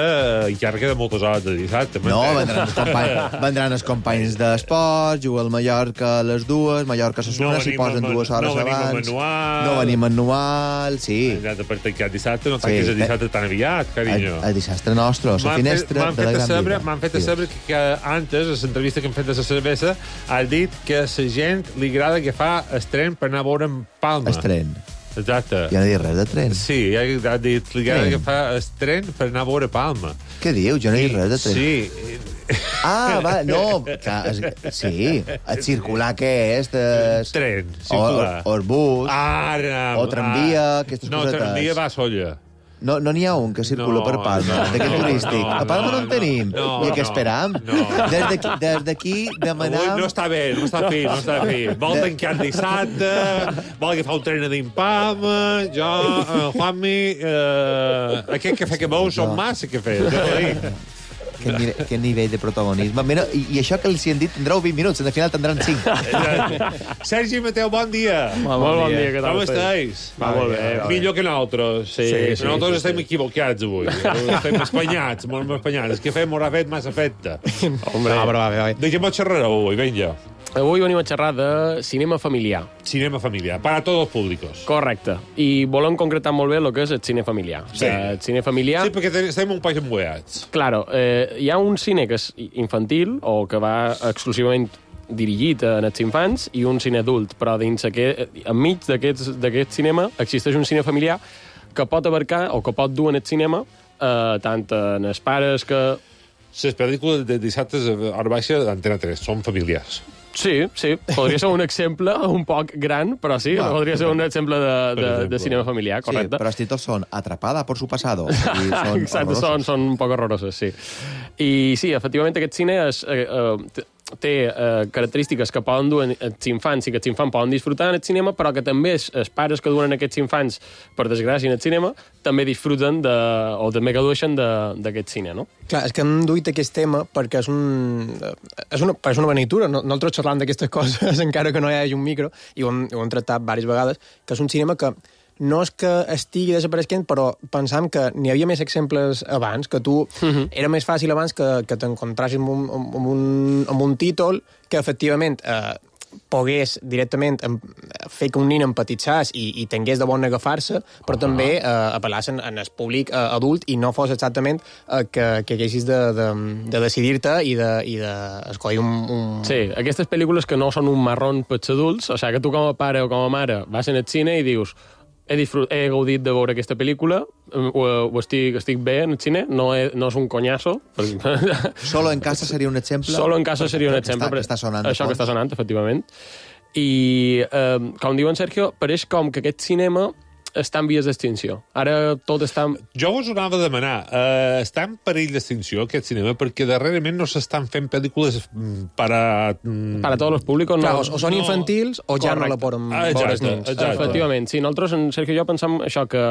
encara queda moltes hores de dissabte. No, vendran els companys d'esports, juga al Mallorca a les 2, Mallorca s'assuna, s'hi posen 2 hores abans. No venim manual, sí. Per tancar dissabte, no tanques el dissabte tan aviat, carinyo. El dissabte nostre, la finestra de la Gran Vida. M'han fet a saber que antes, a l'entrevista que hem fet de la cervesa, ha dit que a la gent li agrada que fa el tren per anar a veure en Palma. El tren. Exacte. Ja no he dit res de tren. Sí, ha dit li agrada que fa el tren per anar a veure Palma. Què diu? Jo no he dit res de tren. Sí. Ah, va, no. Sí, el circular què és? Tren, circular. O el bus. Ara. O tramvia, aquestes cosetes. No, tramvia va a Solla. No n'hi ha un que circula per Palma, d'aquest turístic. A Palma no en tenim. I què esperam? Des d'aquí demanam... Avui no està bé, no està fi. Vol tancar dissabte, vol agafar un tren a Palma, jo, Juanmi, aquest cafè que veus són massa cafès. Quin nivell de protagonisme. Mira, i això que els hi han dit tindreu 20 minuts, al final tindran 5. Sergi Mateu, bon dia. Molt bon dia, què tal? Com estàs? Molt bé. Millor que nosaltres. Sí. Nosaltres estem equivocats avui. Estem espanyats, molt espanyats. El cafè m'haurà fet massa efecte. Hombre. De què pots xerrar avui? Vinga. Avui venim a xerrar de cinema familiar. Cinema familiar, para todos los públicos. Correcte. I volem concretar molt bé el que és el cine familiar. Sí. El cine familiar... Sí, perquè estem un país embueats. Claro, hi ha un cine que és infantil o que va exclusivament dirigit a els infants i un cine adult, però enmig d'aquest cinema existeix un cine familiar que pot abarcar o que pot dur en el cinema tant en els pares que... Les pel·lícules de dissabtes a hora baixa d'Antena 3 són familiars. Sí, podria ser un exemple un poc gran, però sí, podria ser un exemple de cinema familiar, correcte. Sí, però els títols són Atrapada por su pasado. Exacte, són un poc horrorosos, sí. I sí, efectivament, aquest cine té característiques que poden dur els infants i que els infants poden disfrutar en el cinema, però que també els pares que duen aquests infants, per desgràcia, en el cinema, també disfruten o també gaudeixen d'aquest cine, no? Clar, és que hem duit aquest tema perquè és una benitura. Nosaltres xerrant d'aquestes coses, encara que no hi hagi un micro, i ho hem tractat diverses vegades, que és un cinema que no és que estigui desapareixent, però pensam que n'hi havia més exemples abans, que tu era més fàcil abans que t'encontrassis amb un títol que efectivament pogués directament fer que un nen empatitzés i tingués de bon agafar-se, però també apel·làs en el públic adult i no fos exactament que haguessis de decidir-te i d'escollir un... Sí, aquestes pel·lícules que no són un marrón pels adults, o sigui, que tu com a pare o com a mare vas en el cine i dius he gaudit de veure aquesta pel·lícula, estic bé en el cine, no és un conyazo. Solo en casa seria un exemple? Solo en casa seria un exemple. Que està sonant. Això que està sonant, efectivament. I, com diu en Sergio, pareix com que aquest cinema està en vies d'extinció. Ara tot està... Jo us ho anava a demanar. Està en perill d'extinció, aquest cinema, perquè darrerament no s'estan fent pel·lícules para tots els públics. Clar, o són infantils o ja no la poden veure els nens. Efectivament, sí. Nosaltres, en Sergio i jo, pensam això, que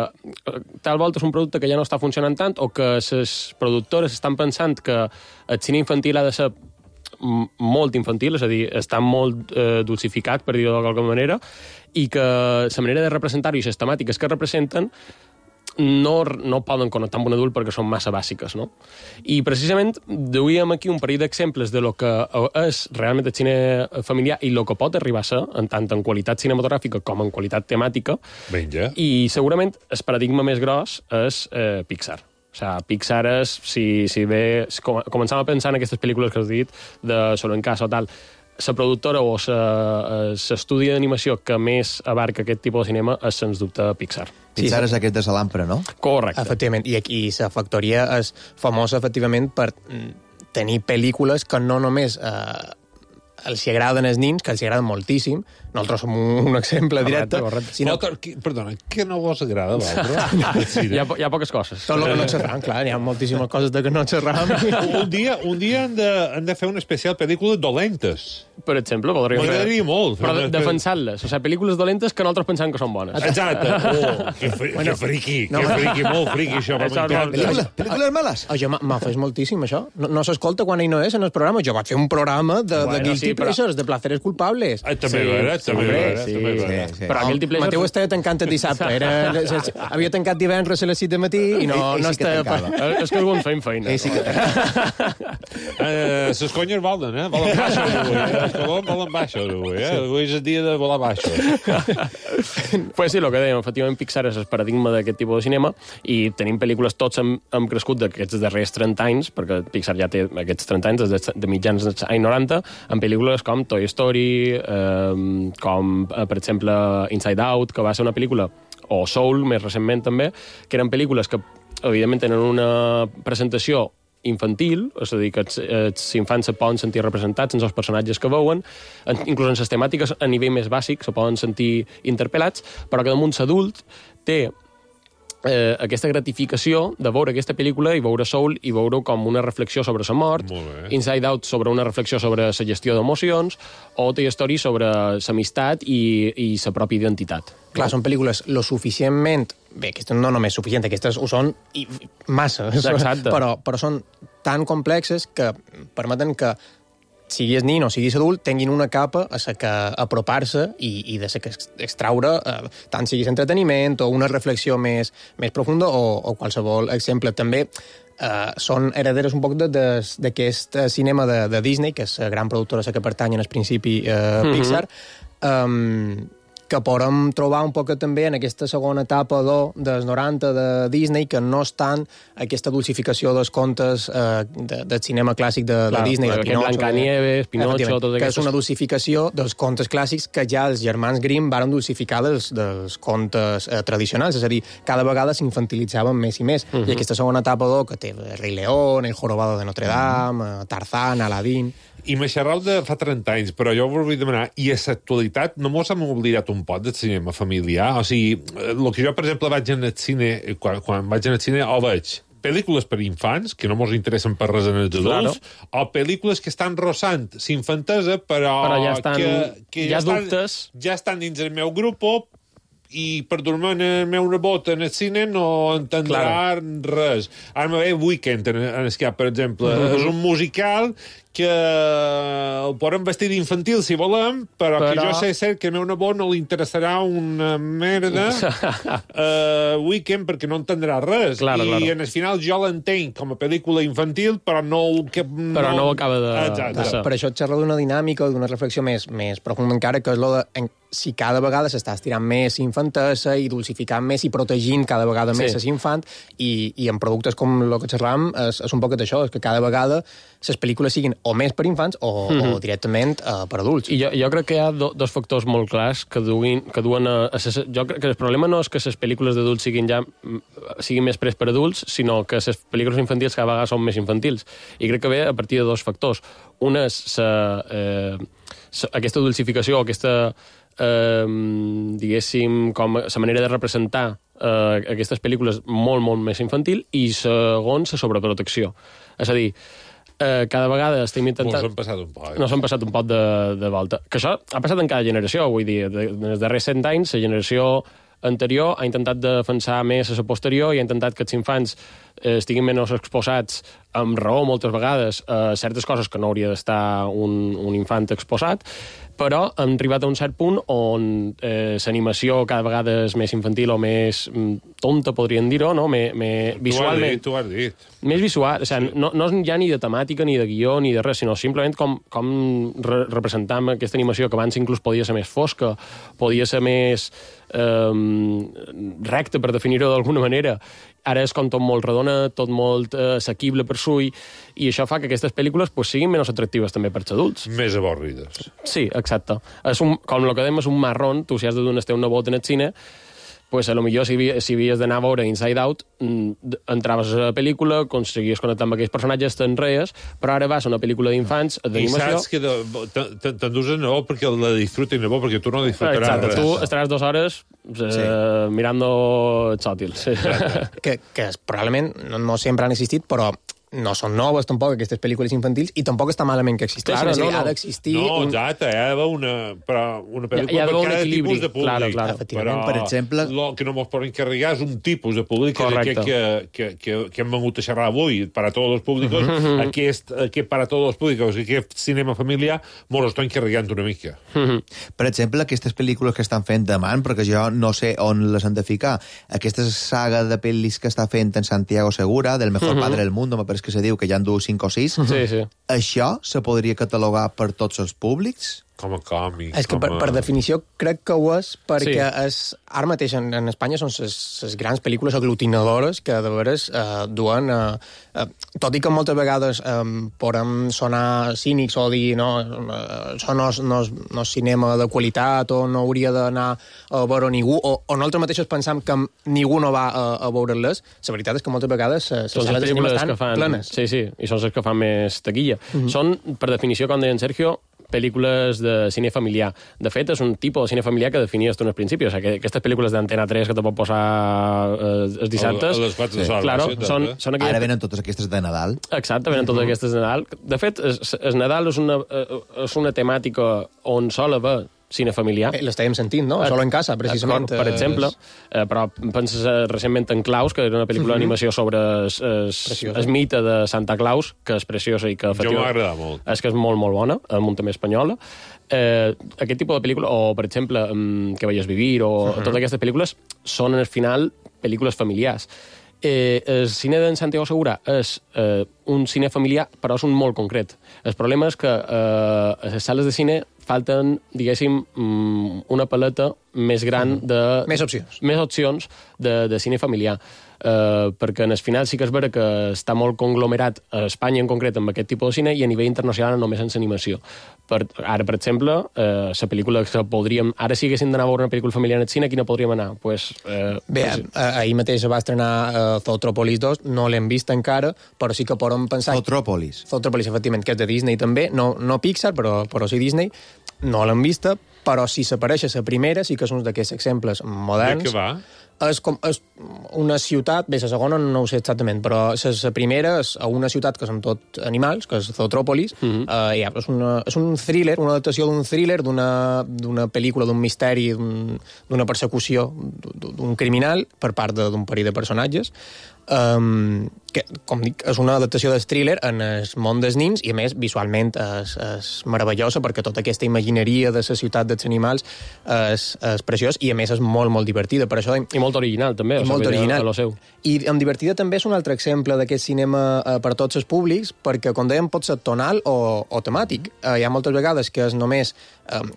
tal volta és un producte que ja no està funcionant tant o que les productores estan pensant que el cine infantil ha de ser molt infantil, és a dir, està molt dulcificat, per dir-ho d'alguna manera, i que la manera de representar-ho i les temàtiques que representen no poden connectar amb un adult perquè són massa bàsiques, no? I precisament duíem aquí un parell d'exemples de lo que és realment el cine familiar i lo que pot arribar a ser, tant en qualitat cinematogràfica com en qualitat temàtica. Vinga. I segurament el paradigma més gros és Pixar. O sigui, Pixar és, si bé començam a pensar en aquestes pel·lícules que has dit, de Solo en casa o tal, la productora o l'estudi d'animació que més abarca aquest tipus de cinema és, sens dubte, Pixar. Pixar és aquest de Salampre, no? Correcte. Efectivament, i aquí la factoria és famosa, efectivament, per tenir pel·lícules que no només els agraden els nins, que els agraden moltíssim. Nosaltres som un exemple directe. Sinó... Perdona, què no vos agrada, l'altre? Hi ha poques coses. Tot el que no xerram, clar, hi ha moltíssimes coses de que no xerram. Un dia han de fer una especial pel·lícula dolentes. Per exemple, podríem fer... M'agradaria molt. Però defensant-les. O sigui, pel·lícules dolentes que nosaltres pensem que són bones. Exacte. Que friqui, molt friqui, això. Pel·lícules males? Jo m'ha fet moltíssim, això. No s'escolta quan ell no és en el programa. Jo vaig fer un programa de guilty pleasures, de placeres culpables. També veure. Però aquell tipus... Mateu estava tancat el dissabte. Havia tancat divendres a les 6 de matí i no estava... És que algun feim feina. Sí que les conyes volen, volen baixos avui. Els colons volen baixos avui. Avui és el dia de volar baixos. Pues sí, el que dèiem, efectivament Pixar és el paradigma d'aquest tipus de cinema i tenim pel·lícules, tots hem crescut d'aquests darrers 30 anys, perquè Pixar ja té aquests 30 anys, des de mitjans dels anys 90, amb pel·lícules com Toy Story, com, per exemple, Inside Out, que va ser una pel·lícula, o Soul, més recentment també, que eren pel·lícules que, evidentment, tenen una presentació infantil, és a dir, que els infants se poden sentir representats en els personatges que veuen, inclús en les temàtiques a nivell més bàsic se poden sentir interpel·lats, però que damunt l'adult té aquesta gratificació de veure aquesta pel·lícula i veure Soul i veure com una reflexió sobre la mort, Inside Out sobre una reflexió sobre la gestió d'emocions, o Toy Story sobre l'amistat i la pròpia identitat. Clar, són pel·lícules lo suficientment... Bé, aquestes no només suficient, aquestes ho són massa, però són tan complexes que permeten que siguis nin o siguis adult, tinguin una capa a la que apropar-se i de la que extraure, tant siguis entreteniment o una reflexió més profunda o qualsevol exemple. També són herederes un poc d'aquest cinema de Disney, que és la gran productora a la que pertany en el principi Pixar, que podem trobar un poc també en aquesta segona etapa dels 90 de Disney, que no és tant aquesta dulcificació dels contes del cinema clàssic de Disney, de Pinocho. Blancanieves, Pinocho, tot que és una dulcificació dels contes clàssics que ja els germans Grimm varen dulcificar dels contes tradicionals, és a dir, cada vegada s'infantilitzaven més i més. I aquesta segona etapa que té el Rei León, el Jorobado de Notre Dame, Tarzán, Aladdin... I me xerrau de fa 30 anys, però jo us vull demanar, i a l'actualitat no mos hem oblidat un pot del cinema familiar? O sigui, el que jo, per exemple, vaig en el cine, quan vaig en el cine, o veig pel·lícules per infants, que no mos interessen per res en els adults, o pel·lícules que estan rossant s'infantesa, però ja estan, que ja dubtes. Ja estan dins el meu grup, i per dormir el meu nebot en el cine no entendrà res. Ara me ve Weekend en Escape, per exemple. És un musical que el podem vestir d'infantil si volem, però que jo sé cert que al meu nebot no li interessarà una merda Weekend perquè no entendrà res. I en el final jo l'entenc com a pel·lícula infantil, però no ho acaba de... Exacte. Per això et xerro d'una dinàmica o d'una reflexió més profunda encara, que és lo de si cada vegada s'està estirant més infantesa i dulcificant més i protegint cada vegada més l'infant, i en productes com el que xerram és un poquet això, és que cada vegada les pel·lícules siguin o més per infants o directament per adults. I jo crec que hi ha dos factors molt clars que duen a... Jo crec que el problema no és que les pel·lícules d'adults siguin més pres per adults, sinó que les pel·lícules infantils cada vegada són més infantils. I crec que ve a partir de dos factors. Un és aquesta dulcificació, aquesta diguéssim, com la manera de representar aquestes pel·lícules molt, molt més infantil, i segon, la sobreprotecció. És a dir, cada vegada estem intentant... Nos hem passat un poc de volta. Que això ha passat en cada generació, vull dir. En els darrers 100 anys, la generació anterior ha intentat defensar més a la posterior i ha intentat que els infants estiguin menys exposats, amb raó moltes vegades, a certes coses que no hauria d'estar un infant exposat, però hem arribat a un cert punt on l'animació cada vegada és més infantil o més tonta, podríem dir-ho, no? Visualment. Tu has dit. Més visual, o sigui, no és ja ni de temàtica, ni de guió, ni de res, sinó simplement com representam aquesta animació, que abans inclús podia ser més fosca, podia ser més recta, per definir-ho d'alguna manera. Ara és com tot molt redona, tot molt assequible per sull, i això fa que aquestes pel·lícules siguin menys atractives també per als adults. Més avorrides. Sí, exacte. Com el que dèiem, és un marrón. Tu, si has de donar un nebot en el cine, pues a lo millor si havies d'anar a veure Inside Out, entraves a la pel·lícula, aconseguies connectar amb aquells personatges, te'n reies, però ara vas a una pel·lícula d'infants, d'animació... I saps que t'endús el nebot perquè la disfruti el nebot, perquè tu no disfrutaràs res. Tu estaràs 2 hores mirando Chòtil. Sí. Que probablement no sempre han existit, però no són noves tampoc aquestes pel·lícules infantils, i tampoc està malament que existeixin. Ha d'existir... exacte, hi ha d'haver una pel·lícula per cada tipus de públic. Clar. Efectivament, per exemple... El que no mos poden carregar és un tipus de públic, que hem vengut a xerrar avui, para tots els públics, aquest para tots els públics, aquest cinema familiar, mos ho estan carregant una mica. Per exemple, aquestes pel·lícules que estan fent demà, perquè jo no sé on les han de ficar, aquesta saga de pel·lis que està fent en Santiago Segura, del mejor padre del mundo, me pareix que se diu que ja en du 5 o 6. Sí. Això se podria catalogar per tots els públics? Com a còmic. És que per definició crec que ho és, perquè ara mateix en Espanya són les grans pel·lícules aglutinadores que de veres duen... tot i que moltes vegades podem sonar cínics o dir això no és cinema de qualitat o no hauria d'anar a veure ningú, o nosaltres mateixos pensam que ningú no va a veure-les, la veritat és que moltes vegades les sales de cinema estan plenes. Sí, i són les que fan més taquilla. Són, per definició, com deia en Sergio, pel·lícules de cine familiar. De fet, és un tipus de cine familiar que definies tu en el principi. O sigui, aquestes pel·lícules d'Antena 3 que te pot posar els dissabtes... A les 4 de sola. Són Ara venen totes aquestes de Nadal. Exacte, venen totes aquestes de Nadal. De fet, el Nadal és una temàtica on sol haver cine familiar. L'estàvem sentint, no? Solo en casa, precisament. Per exemple. Però penses recentment en Claus, que era una pel·lícula d'animació sobre el mite de Santa Claus, que és preciosa i que... Jo m'ha agradat molt. És que és molt, molt bona, amb un tema espanyola. Aquest tipus de pel·lícula, o per exemple, Que veies vivir, o totes aquestes pel·lícules, són al final pel·lícules familiars. El cine d'en Santiago Segura és un cine familiar, però és un molt concret. El problema és que a les sales de cine falten, diguéssim, una paleta més gran de... Més opcions. Més opcions de cine familiar. perquè en el final sí que és vera que està molt conglomerat a Espanya en concret amb aquest tipus de cine i a nivell internacional només en l'animació. Ara, per exemple, la pel·lícula que podríem... Ara si haguéssim d'anar a veure una pel·lícula familiar al cine, quina podríem anar? Bé, ahir mateix va estrenar Zootropolis 2, no l'hem vist encara, però sí que podem pensar... Zootropolis, efectivament, que és de Disney també, no Pixar, però sí Disney. No l'hem vista, però si s'apareix a la primera, sí que és un d'aquests exemples moderns. De què va? És una ciutat, bé, la segona no ho sé exactament, però la primera és a una ciutat que són tot animals, que és Zootropolis. És un thriller, una adaptació d'un thriller, d'una pel·lícula, d'un misteri, d'una persecució d'un criminal per part d'un parell de personatges. Que, com dic, és una adaptació del thriller en el món dels nins i, a més, visualment és meravellosa perquè tota aquesta imagineria de la ciutat dels animals és preciós i, a més, és molt, molt divertida. Per això... I molt original, també. Molt original. Seu. I amb divertida també és un altre exemple d'aquest cinema per a tots els públics, perquè, com dèiem, pot ser tonal o temàtic. Hi ha moltes vegades que és només,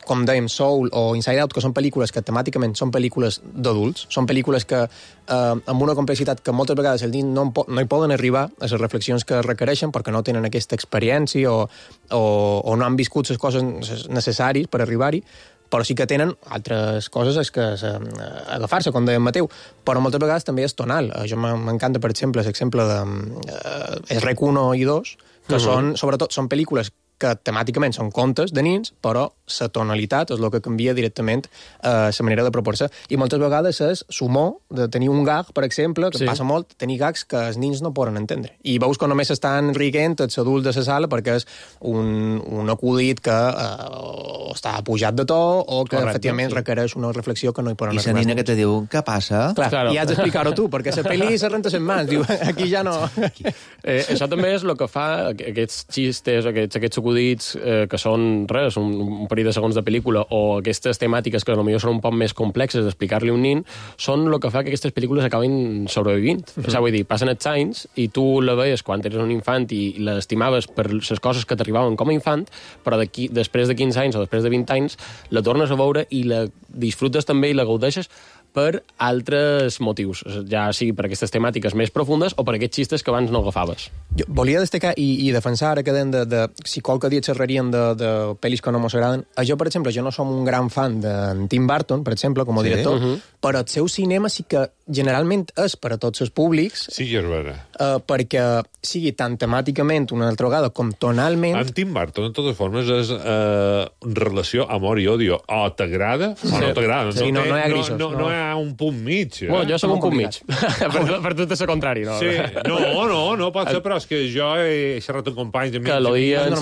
com dèiem, Soul o Inside Out, que són pel·lícules que temàticament són pel·lícules d'adults, són pel·lícules que amb una complexitat que moltes vegades els nins no hi poden arribar a les reflexions que requereixen perquè no tenen aquesta experiència o no han viscut les coses necessàries per arribar-hi, però sí que tenen altres coses que agafar-se, com deia Mateu, però moltes vegades també és tonal. Jo m'encanta, per exemple, l'exemple de Rec 1 i 2, que sobretot són pel·lícules que temàticament són contes de nins, però la tonalitat és el que canvia directament la manera de propor-se. I moltes vegades és l'humor de tenir un gag, per exemple, que passa molt, tenir gags que els nins no poden entendre. I veus que només estan riguent els adults de la sala perquè és un acudit que està pujat de to o que efectivament requereix una reflexió que no hi poden arribar. I la nina que te diu, què passa? Clar, i has d'explicar-ho tu, perquè la pel·li se renta les mans. Diu, aquí ja no... Això també és el que fa aquests xistes, aquests acudits que són res, un parell de segons de pel·lícula o aquestes temàtiques que potser són un poc més complexes d'explicar-li a un nin, són el que fa que aquestes pel·lícules acabin sobrevivint. És a dir, passen els anys i tu la veies quan eres un infant i l'estimaves per les coses que t'arribaven com a infant, però després de 15 anys o després de 20 anys la tornes a veure i la disfrutes també i la gaudeixes per altres motius, ja sigui per aquestes temàtiques més profundes o per aquests xistes que abans no agafaves. Jo volia destacar i defensar, ara que deien de si qualque dia xerraríem de pel·lis que no mos agraden. Jo, per exemple, jo no som un gran fan de Tim Burton, per exemple, com a director, però el seu cinema sí que generalment és per a tots els públics. Sí que és vera. Perquè sigui tant temàticament una altra vegada com tonalment... En Tim Burton, de totes formes, és relació amor i odio. O t'agrada o no t'agrada. Sí, no hi ha grisos. No hi ha un punt mig. Bueno, jo som un punt mig. Per tot és el contrari, no? Sí. No pot ser, però és que jo he xerrat amb companys de que l'odien,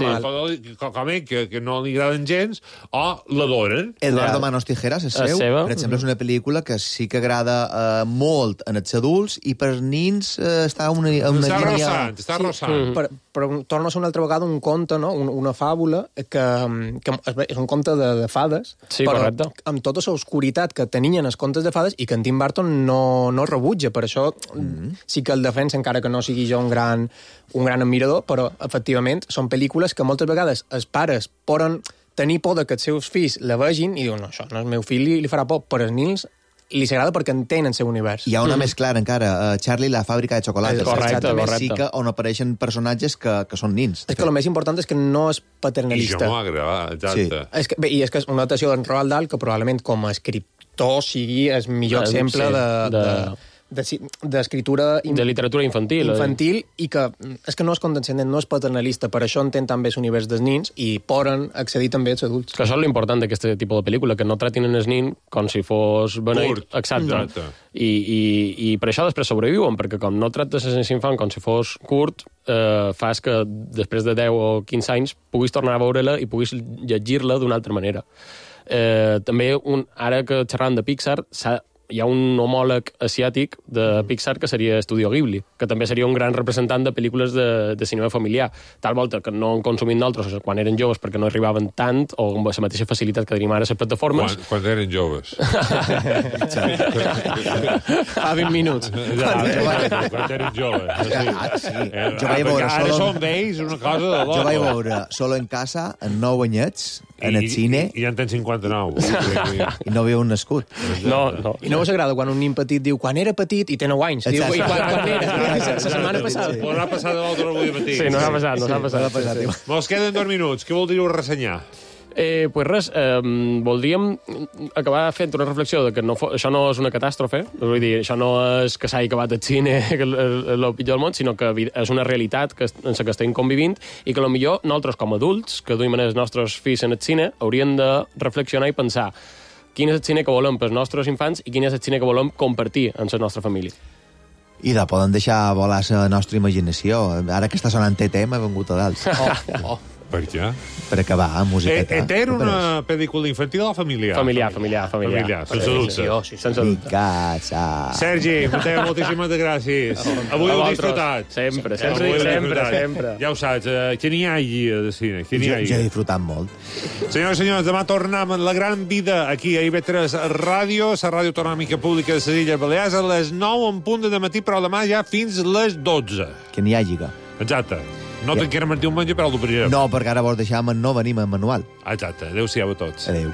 que no li agraden gens o l'adoren. Eduardo Manos Tijeras és seu. Per exemple, és una pel·lícula que sí que agrada molt en els adults i per nins està una línia... Està rossant. Però torna a ser una altra vegada un conte, no? Una fàbula que és un conte de fades, però amb tota l'oscuritat que tenien els contes de fades i que en Tim Burton no rebutja. Per això sí que el defensa, encara que no sigui jo un gran admirador, però efectivament són pel·lícules que moltes vegades els pares poden tenir por que els seus fills la vegin i diuen, no, això no, el meu fill li farà por, però els nins li s'agrada perquè entén el seu univers. Hi ha una més clara encara, Charlie, la fàbrica de xocolata. Correcte. Sí que on apareixen personatges que són nins. És que el més important és que no és paternalista. I jo m'ho agrada, exacte. Sí. És que és una adaptació d'en Roald Dahl que probablement com a escriptor sigui el millor exemple d'escriptura... De literatura infantil. I que és que no és condescendent, no és paternalista, per això entén també l'univers dels nins i poden accedir també als adults. Que això és l'important d'aquest tipus de pel·lícula, que no tratin el nin com si fos beneït. Exacte. I per això després sobreviuen, perquè com no tractes l'infant com si fos curt, fas que després de 10 o 15 anys puguis tornar a veure-la i puguis llegir-la d'una altra manera. També, ara que xerrant de Pixar, hi ha un homòleg asiàtic de Pixar que seria Estudio Ghibli, que també seria un gran representant de pel·lícules de cinema familiar. Tal volta que no han consumit nosaltres quan eren joves perquè no arribaven tant o amb la mateixa facilitat que tenim ara a les plataformes. Quan eren joves. Fa 20 minuts. Quan eren joves. Jo vaig veure ara són vells una cosa de loco. Jo vaig veure Solo en casa, en 9 anyets, en el cine... I ja en tens 59. I no havíeu nascut. No. I no us agrada quan un nin petit diu quan era petit i té 9 anys. Diu, i quan era? La setmana passada. Ho haurà passat l'altre avui matí. Sí, no s'ha passat. Mos queden 2 minuts. Què voldríeu ressenyar? Pues res, voldríem acabar fent una reflexió de que això no és una catàstrofe, vull dir, això no és que s'hagi acabat el cine, que és el pitjor del món, sinó que és una realitat en la que estem convivint i que potser nosaltres com a adults, que duim els nostres fills en el cine, hauríem de reflexionar i pensar quin és el cine que volem pels nostres infants i quin és el cine que volem compartir amb la nostra família. I poden deixar volar la nostra imaginació. Ara que està sonant TT m'ha vengut a dalt. Per què? Per acabar, musiqueta. Era una pel·lícula infantil o familiar? Familiar. Sense dubte. Sense dubte. Sergi, moltíssimes gràcies. Avui heu disfrutat. Sempre. Ja ho saps, que n'hi hagi de cine. Jo he disfrutat molt. Senyors i senyors, demà tornem en La Gran Vida aquí a IB3 Ràdio, la ràdio autonòmica pública de les Illes Balears, a les 9 en punt de matí, però demà ja fins les 12. Que n'hi hagi. Exacte. No te'n queda mentir un menjar, però el dobrirem. No, perquè ara vols deixar no venim en manual. Exacte. Adéu-siau a tots. Adéu.